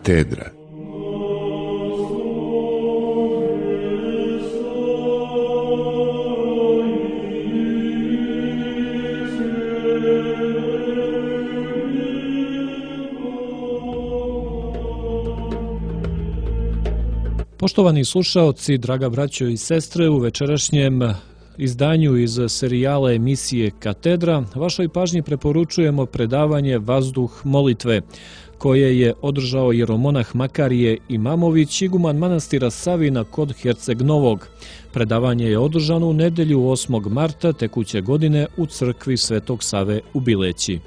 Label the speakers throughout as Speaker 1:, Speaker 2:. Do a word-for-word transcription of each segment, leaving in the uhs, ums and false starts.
Speaker 1: Katedra.
Speaker 2: Poštovani slušaoci, draga braćo i sestre, u večerašnjem izdanju iz serijala emisije Katedra vašoj pažnji preporučujemo predavanje Vazduh molitve, koje je održao jeromonah Makarije Imamović, iguman manastira Savina kod Herceg Novog. Predavanje je održano u nedelju osmog marta tekuće godine u crkvi Svetog Save u Bileći.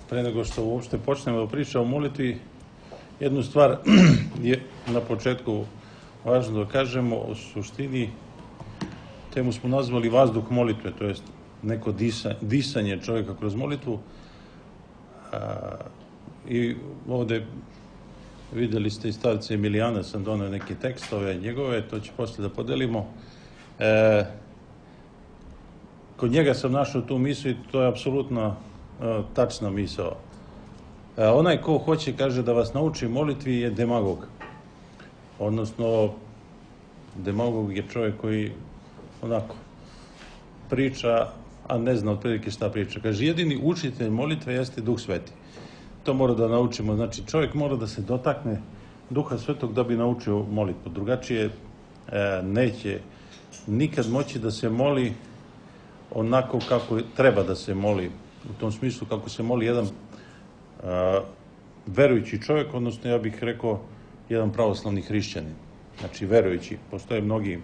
Speaker 3: Pre nego što uopšte počnemo da pričamo o molitvi, jednu stvar je na početku važno da kažemo. O suštini temu smo nazvali vazduh molitve, to jest neko disa, disanje čovjeka kroz molitvu. A, I ovde videli ste iz starca Emilijana, sam donao neke tekstove njegove, to će posle da podelimo. E, kod njega sam našao tu misao i to je apsolutno tačna misao. E, onaj ko hoće, kaže, da vas nauči molitvi je demagog. Odnosno, demagog je čovjek koji onako priča, a ne zna otprilike šta priča. Kaže, jedini učitelj molitve jeste Duh Sveti. To mora da naučimo. Znači, čovjek mora da se dotakne Duha Svetog da bi naučio molitvu. Drugačije e, neće nikad moći da se moli onako kako treba da se moli. U tom smislu kako se moli jedan a, verujući čovjek, odnosno ja bih rekao jedan pravoslavni hrišćanin. Znači verujući. Postoje mnogi,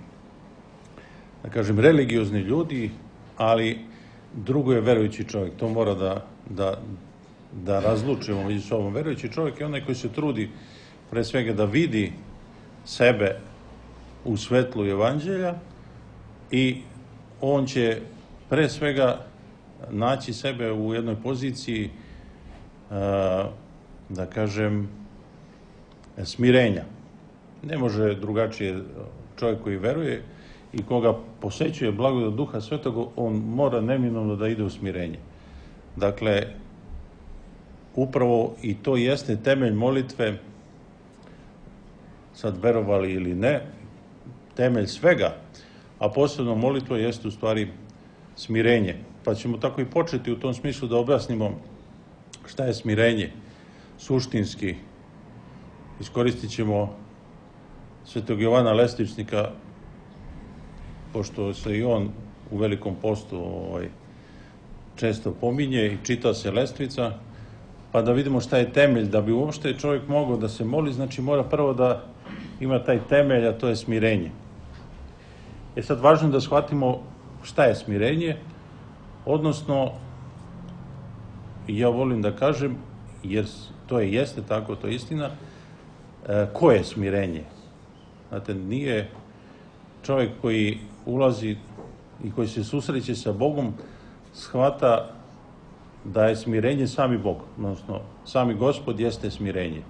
Speaker 3: da kažem, religiozni ljudi, ali drugo je verujući čovjek. To mora da, da, da razlučimo među sobom. Verujući čovjek je onaj koji se trudi pre svega da vidi sebe u svetlu evanđelja i on će pre svega naći sebe u jednoj poziciji, da kažem, smirenja. Ne može drugačije čovjek koji veruje i koga posećuje blagodat Duha Svetog, on mora neminovno da ide u smirenje. Dakle, upravo i to jeste temelj molitve, sad verovali ili ne, temelj svega, a posebno molitva jeste u stvari smirenje. Pa ćemo tako i početi u tom smislu da objasnimo šta je smirenje suštinski. Iskoristit ćemo Svetog Jovana Lestvičnika, pošto se i on u Velikom postu ovaj, često pominje i čita se Lestvica, pa da vidimo šta je temelj. Da bi uopšte čovjek mogao da se moli, znači mora prvo da ima taj temelj, a to je smirenje. E sad, važno je da shvatimo šta je smirenje, odnosno, ja volim da kažem, jer to je jeste tako, to je istina, e, ko je smirenje? Znate, nije čovjek koji ulazi i koji se susreće sa Bogom shvata da je smirenje sami Bog, odnosno sami Gospod jeste smirenje.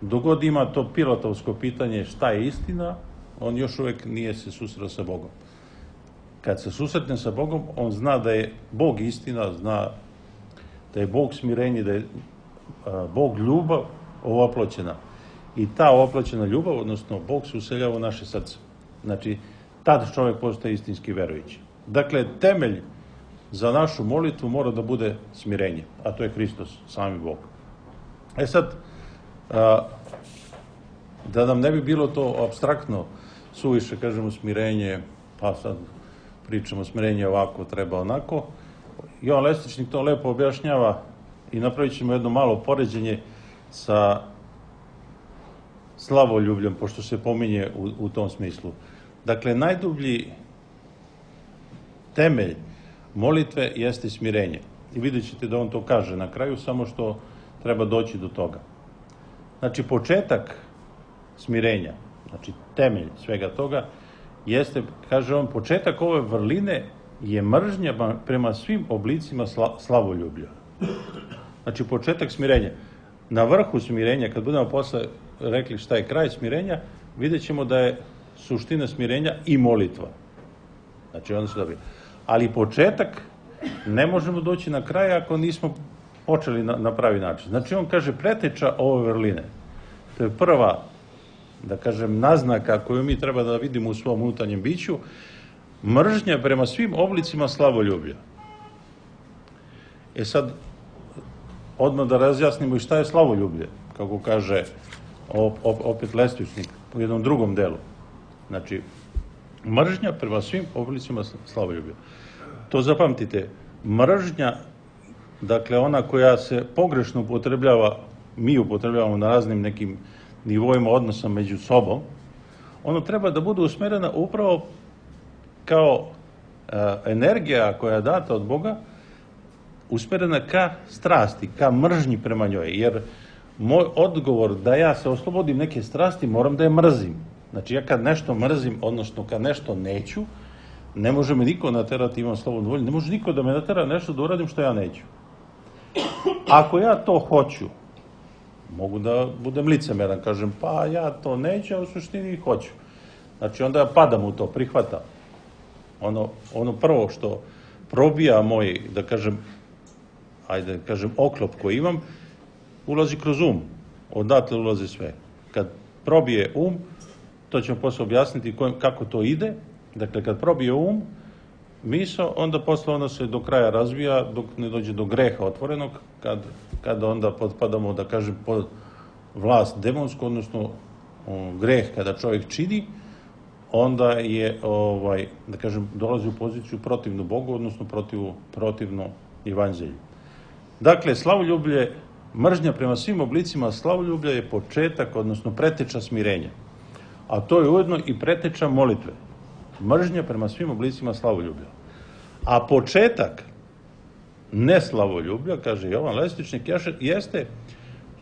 Speaker 3: Dogod ima to pilatovsko pitanje šta je istina, on još uvijek nije se susreo sa Bogom. Kad se susretne sa Bogom, on zna da je Bog istina, zna da je Bog smirenje, da je Bog ljubav ovoploćena. I ta ovoploćena ljubav, odnosno Bog se useljava u naše srce. Znači, tad čovjek postaje istinski verujući. Dakle, temelj za našu molitvu mora da bude smirenje, a to je Hristos, sami Bog. E sad, da nam ne bi bilo to apstraktno, suviše, kažemo, smirenje, pa sad pričamo smirenje ovako, treba onako. Jovan Lestvičnik to lepo objašnjava i napravit ćemo jedno malo poređenje sa slavoljubljem, pošto se pominje u, u tom smislu. Dakle, najdublji temelj molitve jeste smirenje. I vidjet ćete da on to kaže na kraju, samo što treba doći do toga. Znači, početak smirenja, znači temelj svega toga, jeste, kaže on, početak ove vrline je mržnja prema svim oblicima sla, slavoljublja. Znači, početak smirenja. Na vrhu smirenja, kad budemo posle rekli šta je kraj smirenja, vidjet ćemo da je suština smirenja i molitva. Znači, onda se dobije. ali početak ne možemo doći na kraj ako nismo počeli na, na pravi način. Znači on kaže preteča ove vrline. To je prva, da kažem, naznaka koju mi treba da vidimo u svom unutarnjem biću, mržnja prema svim oblicima slavoljublja. E sad, odmah da razjasnimo i šta je slavoljublje, kako kaže op, op, opet Lestvičnik u jednom drugom delu. Znači, mržnja prema svim oblicima slavoljublja. To zapamtite, mržnja, dakle ona koja se pogrešno upotrebljava, mi upotrebljavamo na raznim nekim nivoima odnosa među sobom, ono treba da bude usmerena upravo kao e, energija koja je data od Boga, usmerena ka strasti, ka mržnji prema njoj, jer moj odgovor da ja se oslobodim neke strasti, moram da je mrzim. Znači, ja kad nešto mrzim, odnosno kad nešto neću, ne može me niko naterati, imam slobodnu volju, ne može niko da me natera nešto da uradim što ja neću. Ako ja to hoću, mogu da budem licemeran, kažem, pa ja to neću, a u suštini hoću. Znači, onda ja padam u to, prihvatam. Ono, ono prvo što probija moj, da kažem, ajde, kažem, oklop koji imam, ulazi kroz um. Odatle ulazi sve. Kad probije um, to ćemo posle objasniti kojim, kako to ide. Dakle, kad probije um, misao, onda posle ono se do kraja razvija dok ne dođe do greha otvorenog, kad, kad onda potpadamo, da kažem, pod vlast demonsku, odnosno um, greh kada čovjek čini, onda je, ovaj, da kažem, dolazi u poziciju protivnu Bogu, odnosno protiv, protivno evanđelju. Dakle, slavoljublje, mržnja prema svim oblicima slavoljublja je početak, odnosno preteča smirenja. A to je ujedno i preteča molitve. Mržnja prema svim oblicima slavoljublja. A početak neslavoljublja, kaže Jovan Lestvičnik, jeste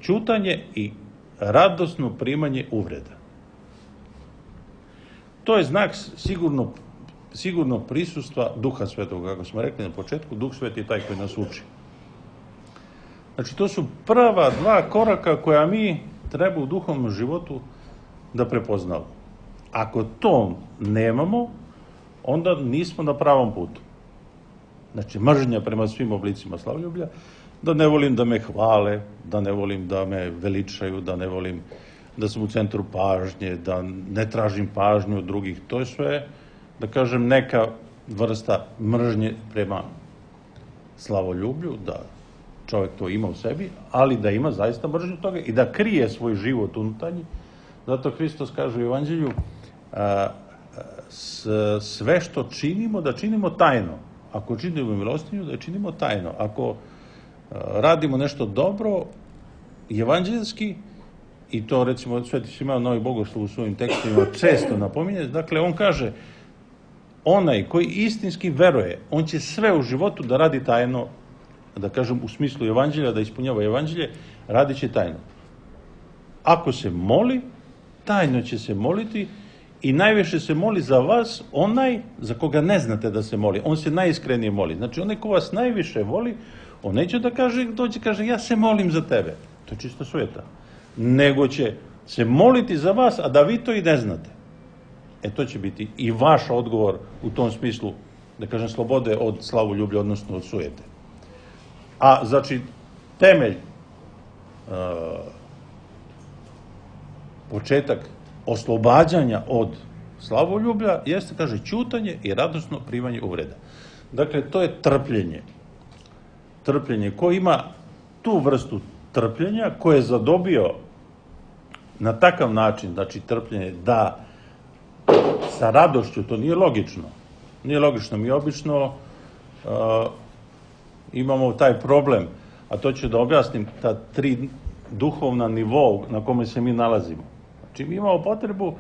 Speaker 3: ćutanje i radosno primanje uvreda. To je znak sigurno, sigurno prisustva Duha Svetog, kako smo rekli na početku, Duh Sveti je taj koji nas uči. Znači, to su prva dva koraka koja mi treba u duhovnom životu da prepoznamo. Ako to nemamo, onda nismo na pravom putu. Znači, mržnja prema svim oblicima slavoljublja, da ne volim da me hvale, da ne volim da me veličaju, da ne volim da sam u centru pažnje, da ne tražim pažnju od drugih. To je sve, da kažem, neka vrsta mržnje prema slavoljublju, da čovjek to ima u sebi, ali da ima zaista mržnju toga i da krije svoj život unutarnji. Zato Hristos kaže u Evanđelju, a, s, sve što činimo, da činimo tajno. Ako činimo milostinju, da je činimo tajno. Ako a, radimo nešto dobro, evanđelski, i to recimo Sveti Simeon Novi Bogoslov u svojim tekstovima često napominje, dakle on kaže, onaj koji istinski veruje, on će sve u životu da radi tajno, da kažem u smislu evanđelja, da ispunjava evanđelje, radit će tajno. Ako se moli, tajno će se moliti i najviše se moli za vas onaj za koga ne znate da se moli. On se najiskrenije moli. Znači, onaj ko vas najviše voli, on neće da kaže, dođe kaže, ja se molim za tebe. To je čisto sveta. Nego će se moliti za vas, a da vi to i ne znate. E, to će biti i vaš odgovor u tom smislu, da kažem, slobode od slavoljublja, odnosno od sujete. A, znači, temelj, uh, početak oslobađanja od slavoljublja jeste, kaže, ćutanje i radosno primanje uvreda. Dakle, to je trpljenje. Trpljenje. Ko ima tu vrstu trpljenja, ko je zadobio na takav način, znači trpljenje, da sa radošću, to nije logično. Nije logično. Mi obično uh, imamo taj problem, a to ću da objasnim, ta tri duhovna nivoa na kome se mi nalazimo. Znači, mi imamo potrebu,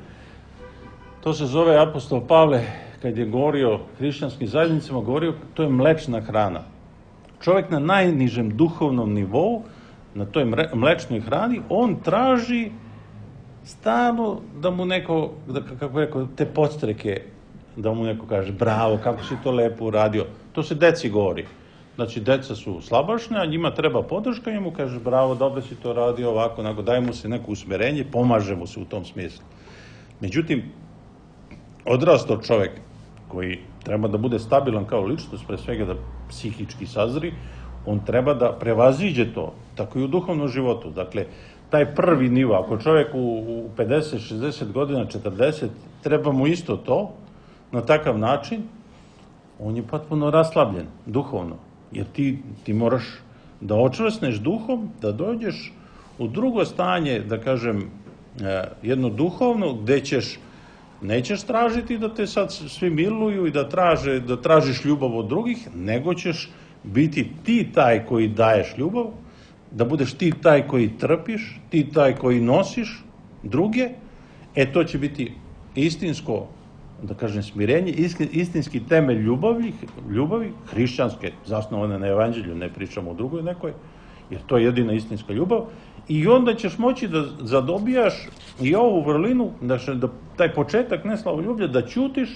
Speaker 3: to se zove apostol Pavle, kad je govorio hrišćanskim zajednicama, govorio, to je mlečna hrana. Čovjek na najnižem duhovnom nivou, na toj mlečnoj hrani, on traži stalno da mu neko, da, kako rekao, te podstreke, da mu neko kaže, bravo, kako si to lepo uradio. To se deci govori. Znači, deca su slabašne, a njima treba podrška, njemu kaže, bravo, dobro si to radio, ovako, onako, daj mu se neko usmerenje, pomaže mu se u tom smislu. Međutim, odrastao čovjek koji treba da bude stabilan kao ličnost, pre svega da psihički sazri, on treba da prevaziđe to, tako i u duhovnom životu. Dakle, taj prvi nivo, ako čovjek u pedeset, šezdeset godina, četrdeset, treba mu isto to, na takav način, on je potpuno raslabljen, duhovno. Jer ti, ti moraš da očvrsneš duhom, da dođeš u drugo stanje, da kažem, jedno duhovno, gde ćeš, nećeš tražiti da te sad svi miluju i da, traže, da tražiš ljubav od drugih, nego ćeš biti ti taj koji daješ ljubav, da budeš ti taj koji trpiš, ti taj koji nosiš druge, e to će biti istinsko, da kažem, smirenje, istinski temelj ljubavi, ljubavi hrišćanske, zasnovane na evanđelju, ne pričamo o drugoj nekoj, jer to je jedina istinska ljubav, i onda ćeš moći da zadobijaš i ovu vrlinu, da, da taj početak neslavoljublja, da ćutiš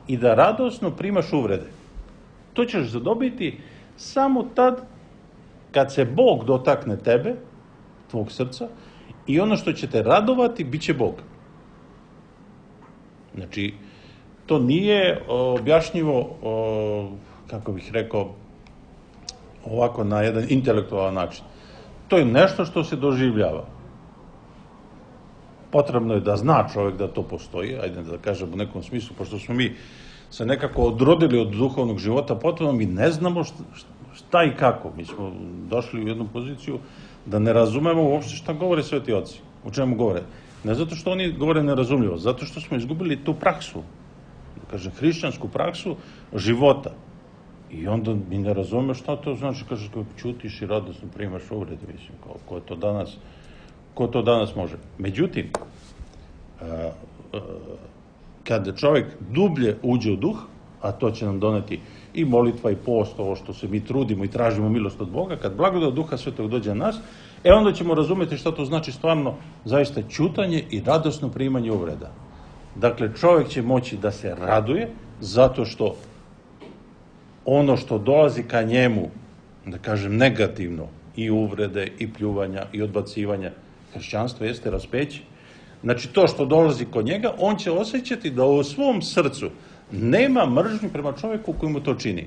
Speaker 3: i da radosno primaš uvrede. To ćeš zadobiti samo tad kad se Bog dotakne tebe, tvog srca, i ono što će te radovati, bit će Bog. Znači, to nije objašnjivo, kako bih rekao, ovako na jedan intelektualan način. To je nešto što se doživljava. Potrebno je da zna čovjek da to postoji, ajde da kažem u nekom smislu, pošto smo mi se nekako odrodili od duhovnog života, potrebno mi ne znamo šta i kako. Mi smo došli u jednu poziciju da ne razumemo uopšte šta govore sveti oci, o čemu govore. Ne zato što oni govore nerazumljivo, zato što smo izgubili tu praksu, da kažem, hrišćansku praksu života. I onda mi ne razumemo šta to znači, kaže, kako ćutiš i radosno primaš uvrede, mislim, ko, ko to danas, ko to danas može. Međutim, a, a, kad čovjek dublje uđe u duh, a to će nam doneti i molitva i post, ovo što se mi trudimo i tražimo milost od Boga, kad blagodat Duha Svetog dođe na nas, e onda ćemo razumeti šta to znači stvarno zaista ćutanje i radosno primanje uvreda. Dakle, čovjek će moći da se raduje zato što ono što dolazi ka njemu, da kažem, negativno, i uvrede, i pljuvanja, i odbacivanja, hrišćanstvo jeste raspeće. Znači, to što dolazi kod njega, on će osjećati da u svom srcu nema mržnje prema čovjeku koji mu to čini.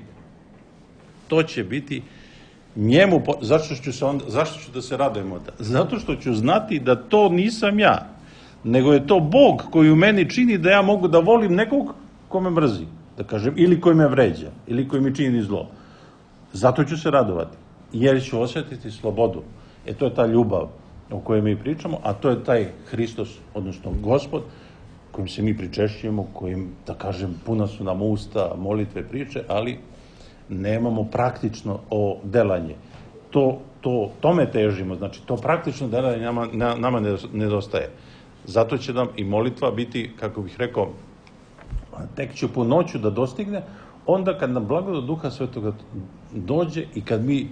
Speaker 3: To će biti njemu, zašto ću, se onda, zašto ću da se radujemo? Zato što ću znati da to nisam ja, nego je to Bog koji u meni čini da ja mogu da volim nekog ko me mrzi, da kažem, ili koji me vređa, ili koji mi čini zlo. Zato ću se radovati, jer ću osjetiti slobodu. E to je ta ljubav o kojoj mi pričamo, a to je taj Hristos, odnosno Gospod, kojim se mi pričešćujemo, kojim, da kažem, puna su nam usta, molitve, priče, ali nemamo praktično o delanje. To, to, tome težimo, znači to praktično delanje nama, nama nedostaje. Zato će nam i molitva biti, kako bih rekao, tek će po noću da dostigne, onda kad nam blagodat Duha Svetoga dođe i kad mi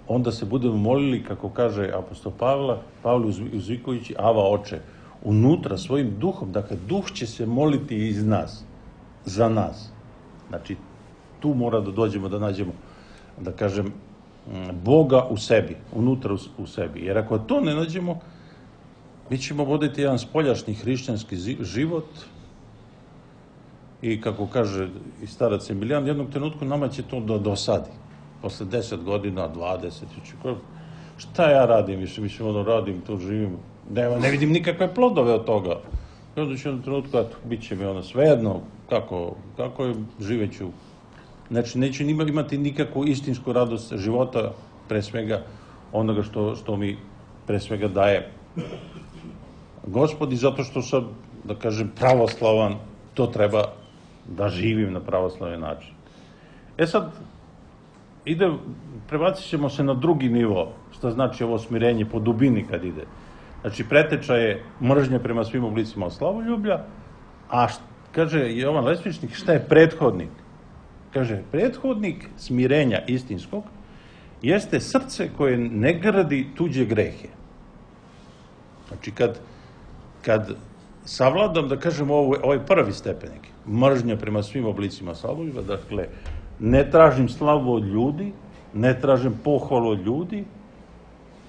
Speaker 3: onda se budemo molili, kako kaže apostol Pavla, Pavle uzvikujući, Ava Oče, unutra svojim duhom, dakle, duh će se moliti iz nas, za nas. Znači, tu mora da dođemo, da nađemo, da kažem, Boga u sebi, unutra u sebi. Jer ako to ne nađemo, mi ćemo voditi jedan spoljašnji hrišćanski život i, kako kaže i starac Emilijan, jednog trenutku nama će to da dosadi. Posle deset godina, dvadeset, šta ja radim više, mislim, ono, radim, to živim, ne, ne vidim nikakve plodove od toga. I onda ću jednom trenutku, eto, bit će mi ono svejedno, kako, kako je, živeću. Znači, neću imati nikakvu istinsku radost života, pre svega onoga što, što mi pre svega daje Gospod, i zato što sam, da kažem, pravoslavan, to treba da živim na pravoslavan način. E sad, ide, prebacit ćemo se na drugi nivo, šta znači ovo smirenje po dubini kad ide. Znači, preteča je mržnja prema svim oblicima slavoljublja, a št, kaže Jovan Lesvičnik, šta je prethodnik? Kaže, prethodnik smirenja istinskog jeste srce koje ne gradi tuđe grehe. Znači, kad, kad savladam, da kažem, ovo, ovaj prvi stepenik, mržnja prema svim oblicima slavoljublja, dakle, ne tražim slavu od ljudi, ne tražim pohvalu od ljudi,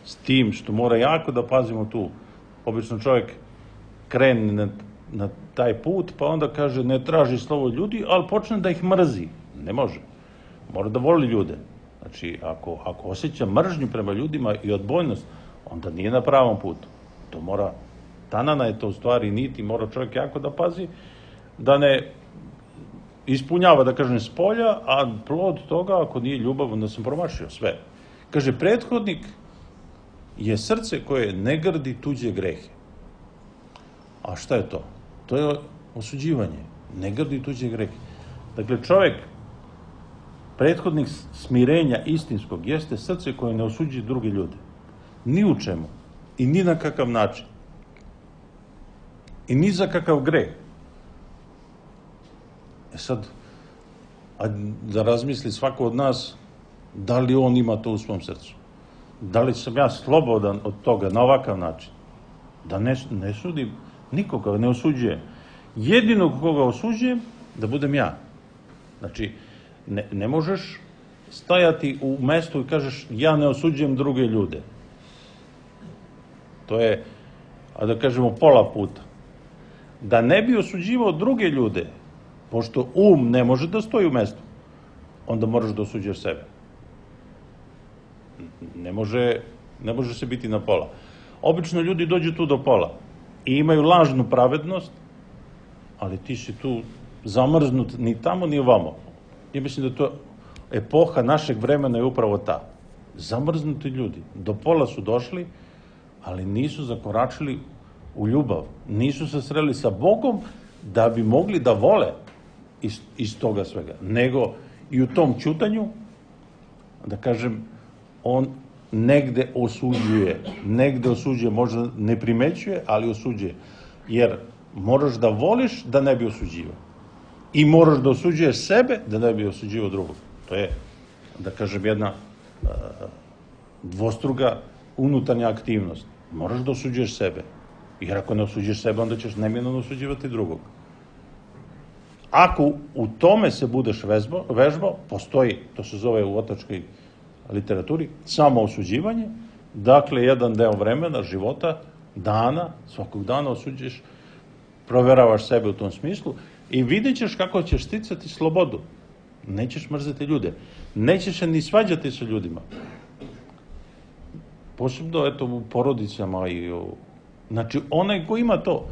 Speaker 3: s tim što mora jako da pazimo tu. Obično čovjek krene na taj put, pa onda kaže ne traži slovo ljudi, ali počne da ih mrzi. Ne može. Mora da voli ljude. Znači, ako, ako osjeća mržnju prema ljudima i odbojnost, onda nije na pravom putu. To mora, tanana je to u stvari niti, mora čovjek jako da pazi, da ne ispunjava, da kažem, s polja, a plod toga, ako nije ljubav, onda sam promašio sve. Kaže, prethodnik je srce koje ne grdi tuđe grehe. A šta je to? To je osuđivanje. Ne grdi tuđe grehe. Dakle, čovjek, prethodnik smirenja istinskog, jeste srce koje ne osuđuje druge ljude. Ni u čemu. I ni na kakav način. I ni za kakav greh. E sad, a da razmisli svako od nas, da li on ima to u svom srcu? Da li sam ja slobodan od toga na ovakav način? Da ne, ne sudim nikoga, ne osuđujem. Jedinog koga osuđujem, da budem ja. Znači, ne, ne možeš stajati u mestu i kažeš ja ne osuđujem druge ljude. To je, a da kažemo, pola puta. Da ne bi osuđivao druge ljude, pošto um ne može da stoji u mestu, onda moraš da osuđuješ sebe. Ne može, ne može se biti na pola. Obično ljudi dođu tu do pola i imaju lažnu pravednost, ali ti si tu zamrznut ni tamo ni ovamo. Ja mislim da to epoha našeg vremena je upravo ta. Zamrznuti ljudi. Do pola su došli, ali nisu zakoračili u ljubav. Nisu se sreli sa Bogom da bi mogli da vole iz, iz toga svega. Nego i u tom ćutanju, da kažem, on negde osuđuje. Negde osuđuje, možda ne primećuje, ali osuđuje. Jer moraš da voliš da ne bi osuđivao. I moraš da osuđuješ sebe da ne bi osuđivao drugog. To je, da kažem, jedna uh, dvostruga unutarnja aktivnost. Moraš da osuđuješ sebe. Jer ako ne osuđuješ sebe, onda ćeš neminovno osuđivati drugog. Ako u tome se budeš vežbao, vežbao, postoji, to se zove u otačkoj literaturi, samo osuđivanje, dakle, jedan deo vremena, života, dana, svakog dana osuđuješ, proveravaš sebe u tom smislu i vidjet ćeš kako ćeš sticati slobodu. Nećeš mrzeti ljude. Nećeš se ni svađati sa ljudima. Posebno, eto, u porodicama i u... Znači, onaj ko ima to,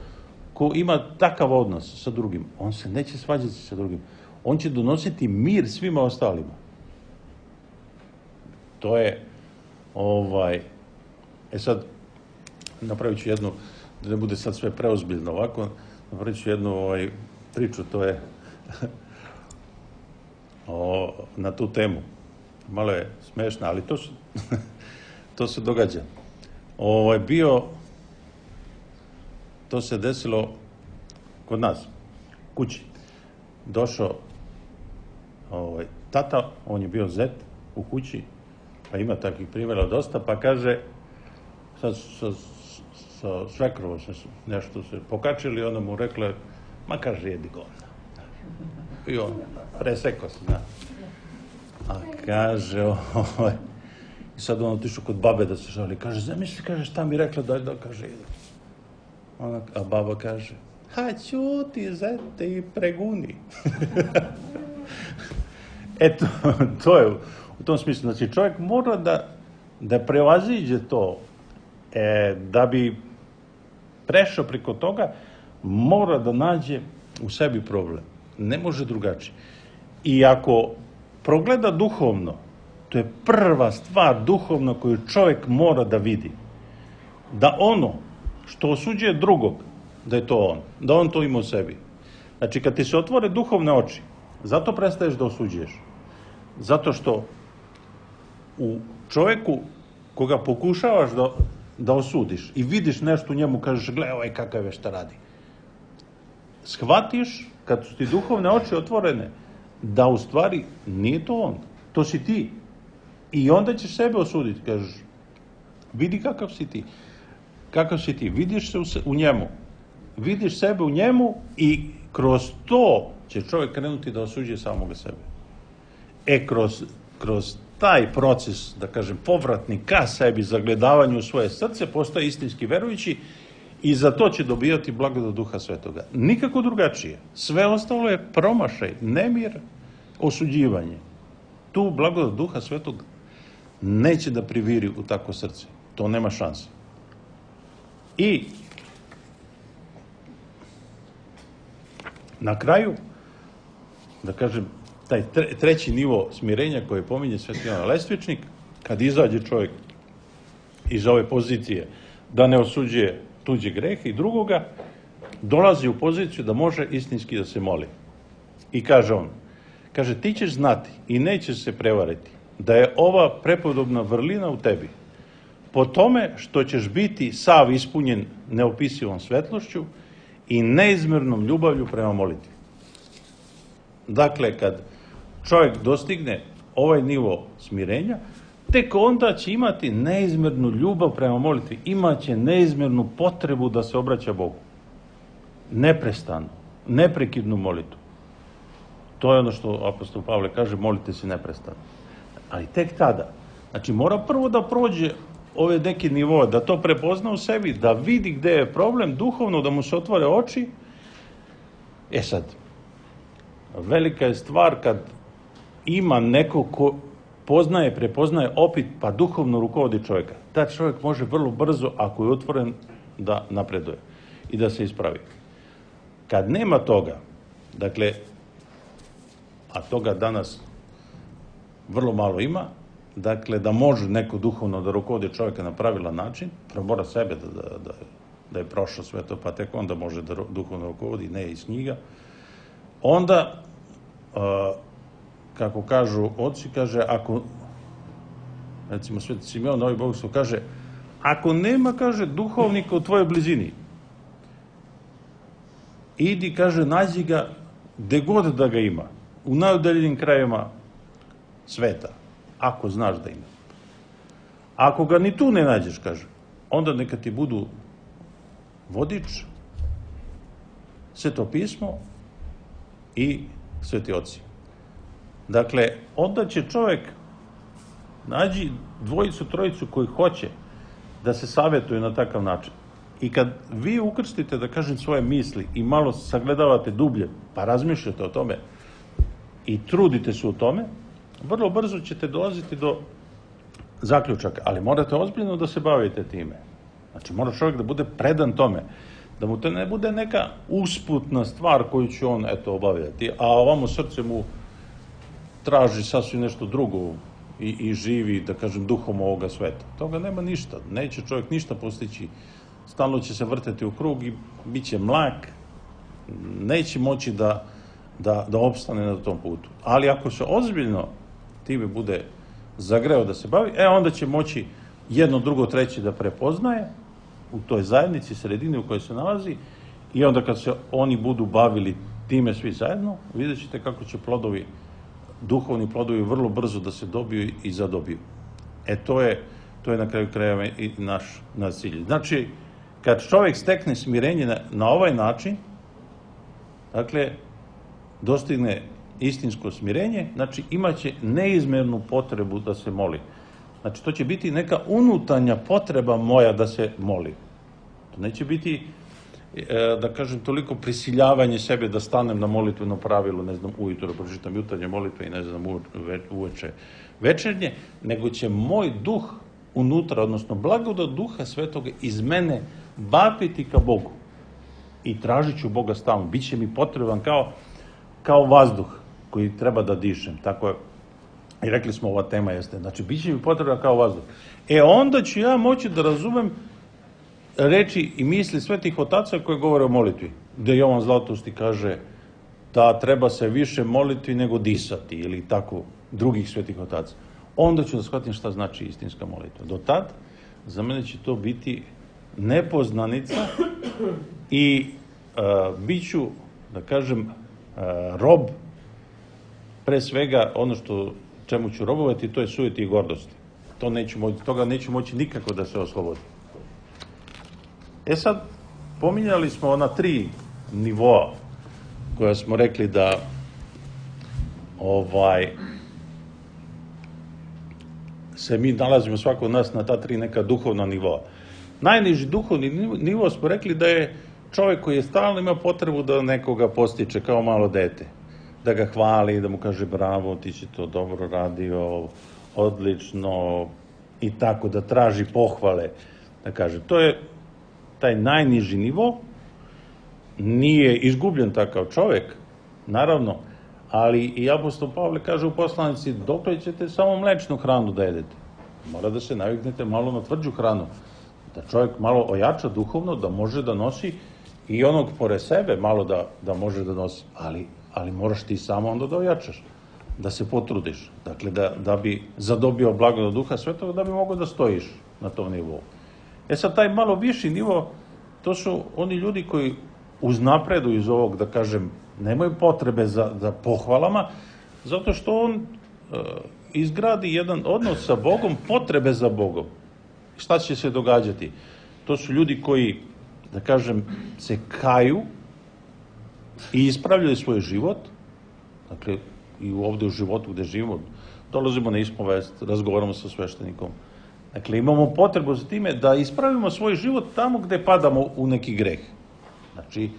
Speaker 3: ko ima takav odnos sa drugim, on se neće svađati sa drugim. On će donositi mir svima ostalima. To je, ovaj... E sad, napravit ću jednu, da ne bude sad sve preozbiljno ovako, napravit ću jednu ovaj, priču, to je o, na tu temu. Malo je smešna, ali to, su, to se događa. Ovaj, bio, to se desilo kod nas, kući. Došao ovaj, tata, on je bio zet u kući, pa ima takvih primjera dosta, pa kaže, sad sa, sa svekrovom se nešto se pokačili, onda mu rekla, ma kaže, jedi govna. I on presekao se, zna. A kaže, ovaj, i sad on otišao kod babe da se žali, kaže, zamisli, kaže, šta mi rekla, da, da, kaže, jedi. Ona, a baba kaže, ha, ćuti, zete i preguni. Eto, to je u tom smislu. Znači, čovjek mora da, da prevaziđe to, e, da bi prešao preko toga, mora da nađe u sebi problem. Ne može drugačije. I ako progleda duhovno, to je prva stvar duhovno koju čovjek mora da vidi. Da ono što osuđuje drugog, da je to on. Da on to ima u sebi. Znači, kad ti se otvore duhovne oči, zato prestaješ da osuđuješ. Zato što u čovjeku koga pokušavaš da, da osudiš i vidiš nešto u njemu, kažeš, gle, ovaj kakav je, šta radi. Shvatiš, kad su ti duhovne oči otvorene, da u stvari nije to on, to si ti. I onda ćeš sebe osuditi, kažeš, vidi kakav si ti. Kakav si ti, vidiš se u, se, u njemu. Vidiš sebe u njemu i kroz to će čovjek krenuti da osuđuje samoga sebe. E, kroz, kroz taj proces, da kažem, povratni ka sebi, zagledavanju u svoje srce, postaje istinski verujući I za to će dobijati blagodat Duha Svetoga. Nikako drugačije. Sve ostalo je promašaj, nemir, osuđivanje. Tu blagodat Duha Svetog neće da priviri u takvo srce. To nema šanse. I na kraju, da kažem, taj treći nivo smirenja koji pominje Sveti Jovan Lestvičnik, kad izađe čovjek iz ove pozicije da ne osuđuje tuđe grehe i drugoga, dolazi u poziciju da može istinski da se moli. I kaže on, kaže, ti ćeš znati i nećeš se prevariti da je ova prepodobna vrlina u tebi po tome što ćeš biti sav ispunjen neopisivom svetlošću i neizmjernom ljubavlju prema molitvi. Dakle, kad čovjek dostigne ovaj nivo smirenja, tek onda će imati neizmjernu ljubav prema molitvi, imaće neizmjernu potrebu da se obraća Bogu. Neprestano, neprekidnu molitvu. To je ono što apostol Pavle kaže, molite se neprestano. Ali tek tada, znači mora prvo da prođe ove neke nivoe, da to prepozna u sebi, da vidi gde je problem, duhovno, da mu se otvore oči. E sad, velika je stvar kad ima neko ko poznaje, prepoznaje opet, pa duhovno rukovodi čovjeka. Ta čovjek može vrlo brzo, ako je otvoren, da napreduje i da se ispravi. Kad nema toga, dakle, a toga danas vrlo malo ima, dakle, da može neko duhovno da rukovodi čovjeka na pravilan način, prvo mora sebe da, da, da, da je prošao sve to, pa tek onda može da duhovno rukovodi, ne iz knjiga, onda, a, kako kažu oci, kaže, ako, recimo Sveti Simeon, Novi Bogoslov, kaže, ako nema, kaže, duhovnika u tvojoj blizini, idi, kaže, nađi ga gde god da ga ima, u najudaljenim krajevima sveta, ako znaš da ima. Ako ga ni tu ne nađeš, kaže, onda neka ti budu vodič, Sveto pismo i sveti oci. Dakle, onda će čovjek nađi dvojicu, trojicu koji hoće da se savjetuju na takav način. I kad vi ukrstite, da kažem, svoje misli i malo sagledavate dublje, pa razmišljate o tome i trudite se u tome, vrlo brzo ćete dolaziti do zaključaka, ali morate ozbiljno da se bavite time. Znači, mora čovjek da bude predan tome, da mu to ne bude neka usputna stvar koju će on, eto, obavljati, a ovamo srce mu traži sasvim nešto drugo i, i živi, da kažem, duhom ovoga sveta. Toga nema ništa, neće čovjek ništa postići, stalno će se vrteti u krug i bit će mlak, neće moći da, da, da opstane na tom putu. Ali ako se ozbiljno time bude zagreo da se bavi, e onda će moći jedno, drugo, treće da prepoznaje u toj zajednici, sredini u kojoj se nalazi, i onda kad se oni budu bavili time svi zajedno, vidjet ćete kako će plodovi, duhovni plodovi vrlo brzo da se dobiju i zadobiju. E to je, to je na kraju krajeva i naš, naš cilj. Znači, kad čovjek stekne smirenje na, na ovaj način, dakle, dostigne istinsko smirenje, znači imaće neizmjernu potrebu da se moli. Znači, to će biti neka unutarnja potreba moja da se moli. To neće biti, da kažem, toliko prisiljavanje sebe da stanem na molitveno pravilo, ne znam, ujutro pročitam jutarnje molitve i ne znam, uveče večernje, nego će moj duh unutra, odnosno blagodat Duha Svetoga iz mene vapiti ka Bogu. I tražit ću Boga stalno. Biće mi potreban kao, kao vazduh koji treba da dišem. Tako je. I rekli smo, ova tema jeste. Znači, bit će mi potreban kao vazduh. E onda ću ja moći da razumem reči i misli svetih otaca koje govore o molitvi. Gde Jovan Zlatosti kaže da treba se više moliti nego disati, ili tako drugih svetih otaca. Onda ću da shvatim šta znači istinska molitva. Do tad, za mene će to biti nepoznanica i uh, bit ću, da kažem, uh, rob, pre svega ono što čemu ću robovati, to je sujeti i gordosti. To neću moći, toga neću moći nikako da se oslobodi. E sad, pominjali smo ona tri nivoa koja smo rekli da ovaj se mi nalazimo svako od nas na ta tri neka duhovna nivoa. najniži duhovni nivo smo rekli da je čovjek koji je stalno ima potrebu da nekoga postiče kao malo dete. Da ga hvali, da mu kaže bravo, ti si to dobro radio, odlično i tako, da traži pohvale. Da kaže, to je taj najniži nivo, nije izgubljen takav čovjek, naravno, ali i apostol Pavle kaže u poslanici, dokle ćete samo mlečnu hranu da jedete? Mora da se naviknete malo na tvrđu hranu, da čovjek malo ojača duhovno, da može da nosi i onog pored sebe malo da, da može da nosi, ali, ali moraš ti samo onda da ojačaš, da se potrudiš, dakle da, da bi zadobio blagodat Duha Svetog, da bi mogao da stojiš na tom nivou. E sad, taj malo viši nivo, to su oni ljudi koji uznapreduju iz ovog, da kažem, nemaju potrebe za, za pohvalama, zato što on e, izgradi jedan odnos sa Bogom, potrebe za Bogom. Šta će se događati? To su ljudi koji, da kažem, se kaju i ispravljaju svoj život, dakle, i ovde u životu gde živimo, dolazimo na ispovest, razgovaramo sa sveštenikom. Dakle, imamo potrebu za time da ispravimo svoj život tamo gde padamo u neki greh. Znači,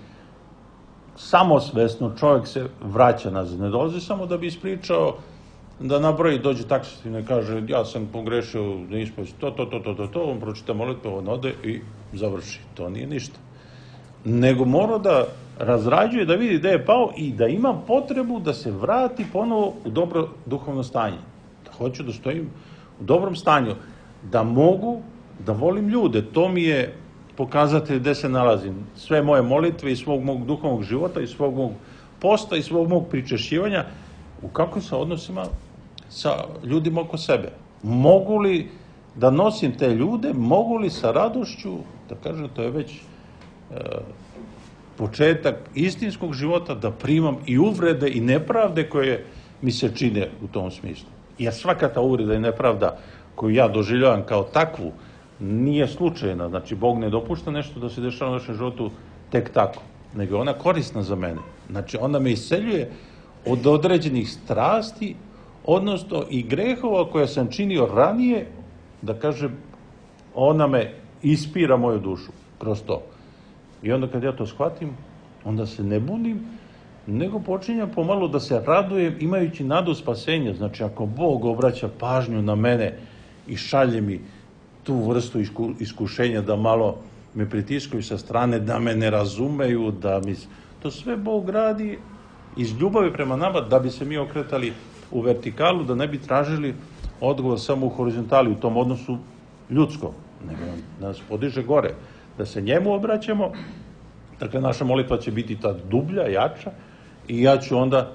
Speaker 3: samosvesno čovjek se vraća nazad. Ne dolazi samo da bi ispričao, da nabroji, dođe taksativno i kaže ja sam pogrešio na ispovesti, to, to, to, to, to, to, on pročita molitvu, on ode i završi. To nije ništa. Nego mora da razrađuje, da vidi gde je pao i da ima potrebu da se vrati ponovo u dobro duhovno stanje. Da hoću da stojim u dobrom stanju, da mogu da volim ljude. To mi je pokazatelj gde se nalazim. Sve moje molitve i svog mog duhovnog života i svog mog posta i svog mog pričešćivanja u kakvim se odnosima sa ljudima oko sebe. Mogu li da nosim te ljude, mogu li sa radošću, da kažem, to je već e, početak istinskog života, da primam i uvrede i nepravde koje mi se čine u tom smislu. Jer svaka ta uvreda i nepravda koju ja doživljavam kao takvu, nije slučajna. Znači, Bog ne dopušta nešto da se dešava u našem životu tek tako, nego je ona korisna za mene. Znači, ona me isceljuje od određenih strasti, odnosno i grehova koje sam činio ranije, da kažem, ona me ispira moju dušu kroz to. I onda kad ja to shvatim, onda se ne bunim, nego počinjem pomalo da se radujem imajući nadu spasenja. Znači, ako Bog obraća pažnju na mene i šalje mi tu vrstu isku, iskušenja da malo me pritiskaju sa strane, da me ne razumeju, da mi... To sve Bog radi iz ljubavi prema nama da bi se mi okretali u vertikalu, da ne bi tražili odgovor samo u horizontali, u tom odnosu ljudsko, nego da nas podiže gore, da se njemu obraćamo. Dakle, naša molitva će biti ta dublja, jača i ja ću onda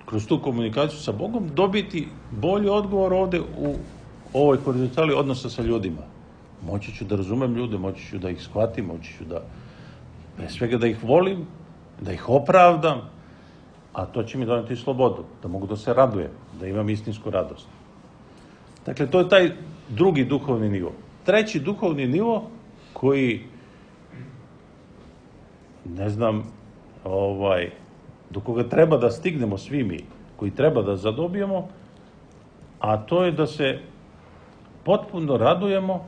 Speaker 3: kroz tu komunikaciju sa Bogom dobiti bolji odgovor ovde u ovoj horizontali odnosa sa ljudima. Moći ću da razumem ljude, moći ću da ih shvatim, moći ću da, pre svega da ih volim, da ih opravdam, a to će mi doneti slobodu, da mogu da se radujem, da imam istinsku radost. Dakle, to je taj drugi duhovni nivo. Treći duhovni nivo koji, ne znam, ovaj, do koga treba da stignemo svi mi, koji treba da zadobijemo, a to je da se potpuno radujemo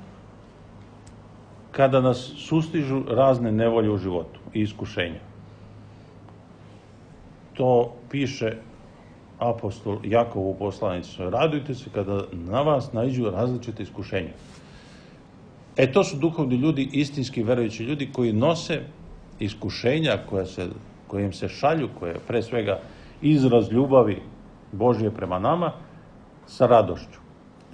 Speaker 3: kada nas sustižu razne nevolje u životu i iskušenja. To piše apostol Jakov u poslanici. Radujte se kada na vas naiđu različite iskušenja. E, to su duhovni ljudi, istinski verujući ljudi koji nose iskušenja koja, se, koja im se šalju, koje je pre svega izraz ljubavi Božje prema nama, sa radošću.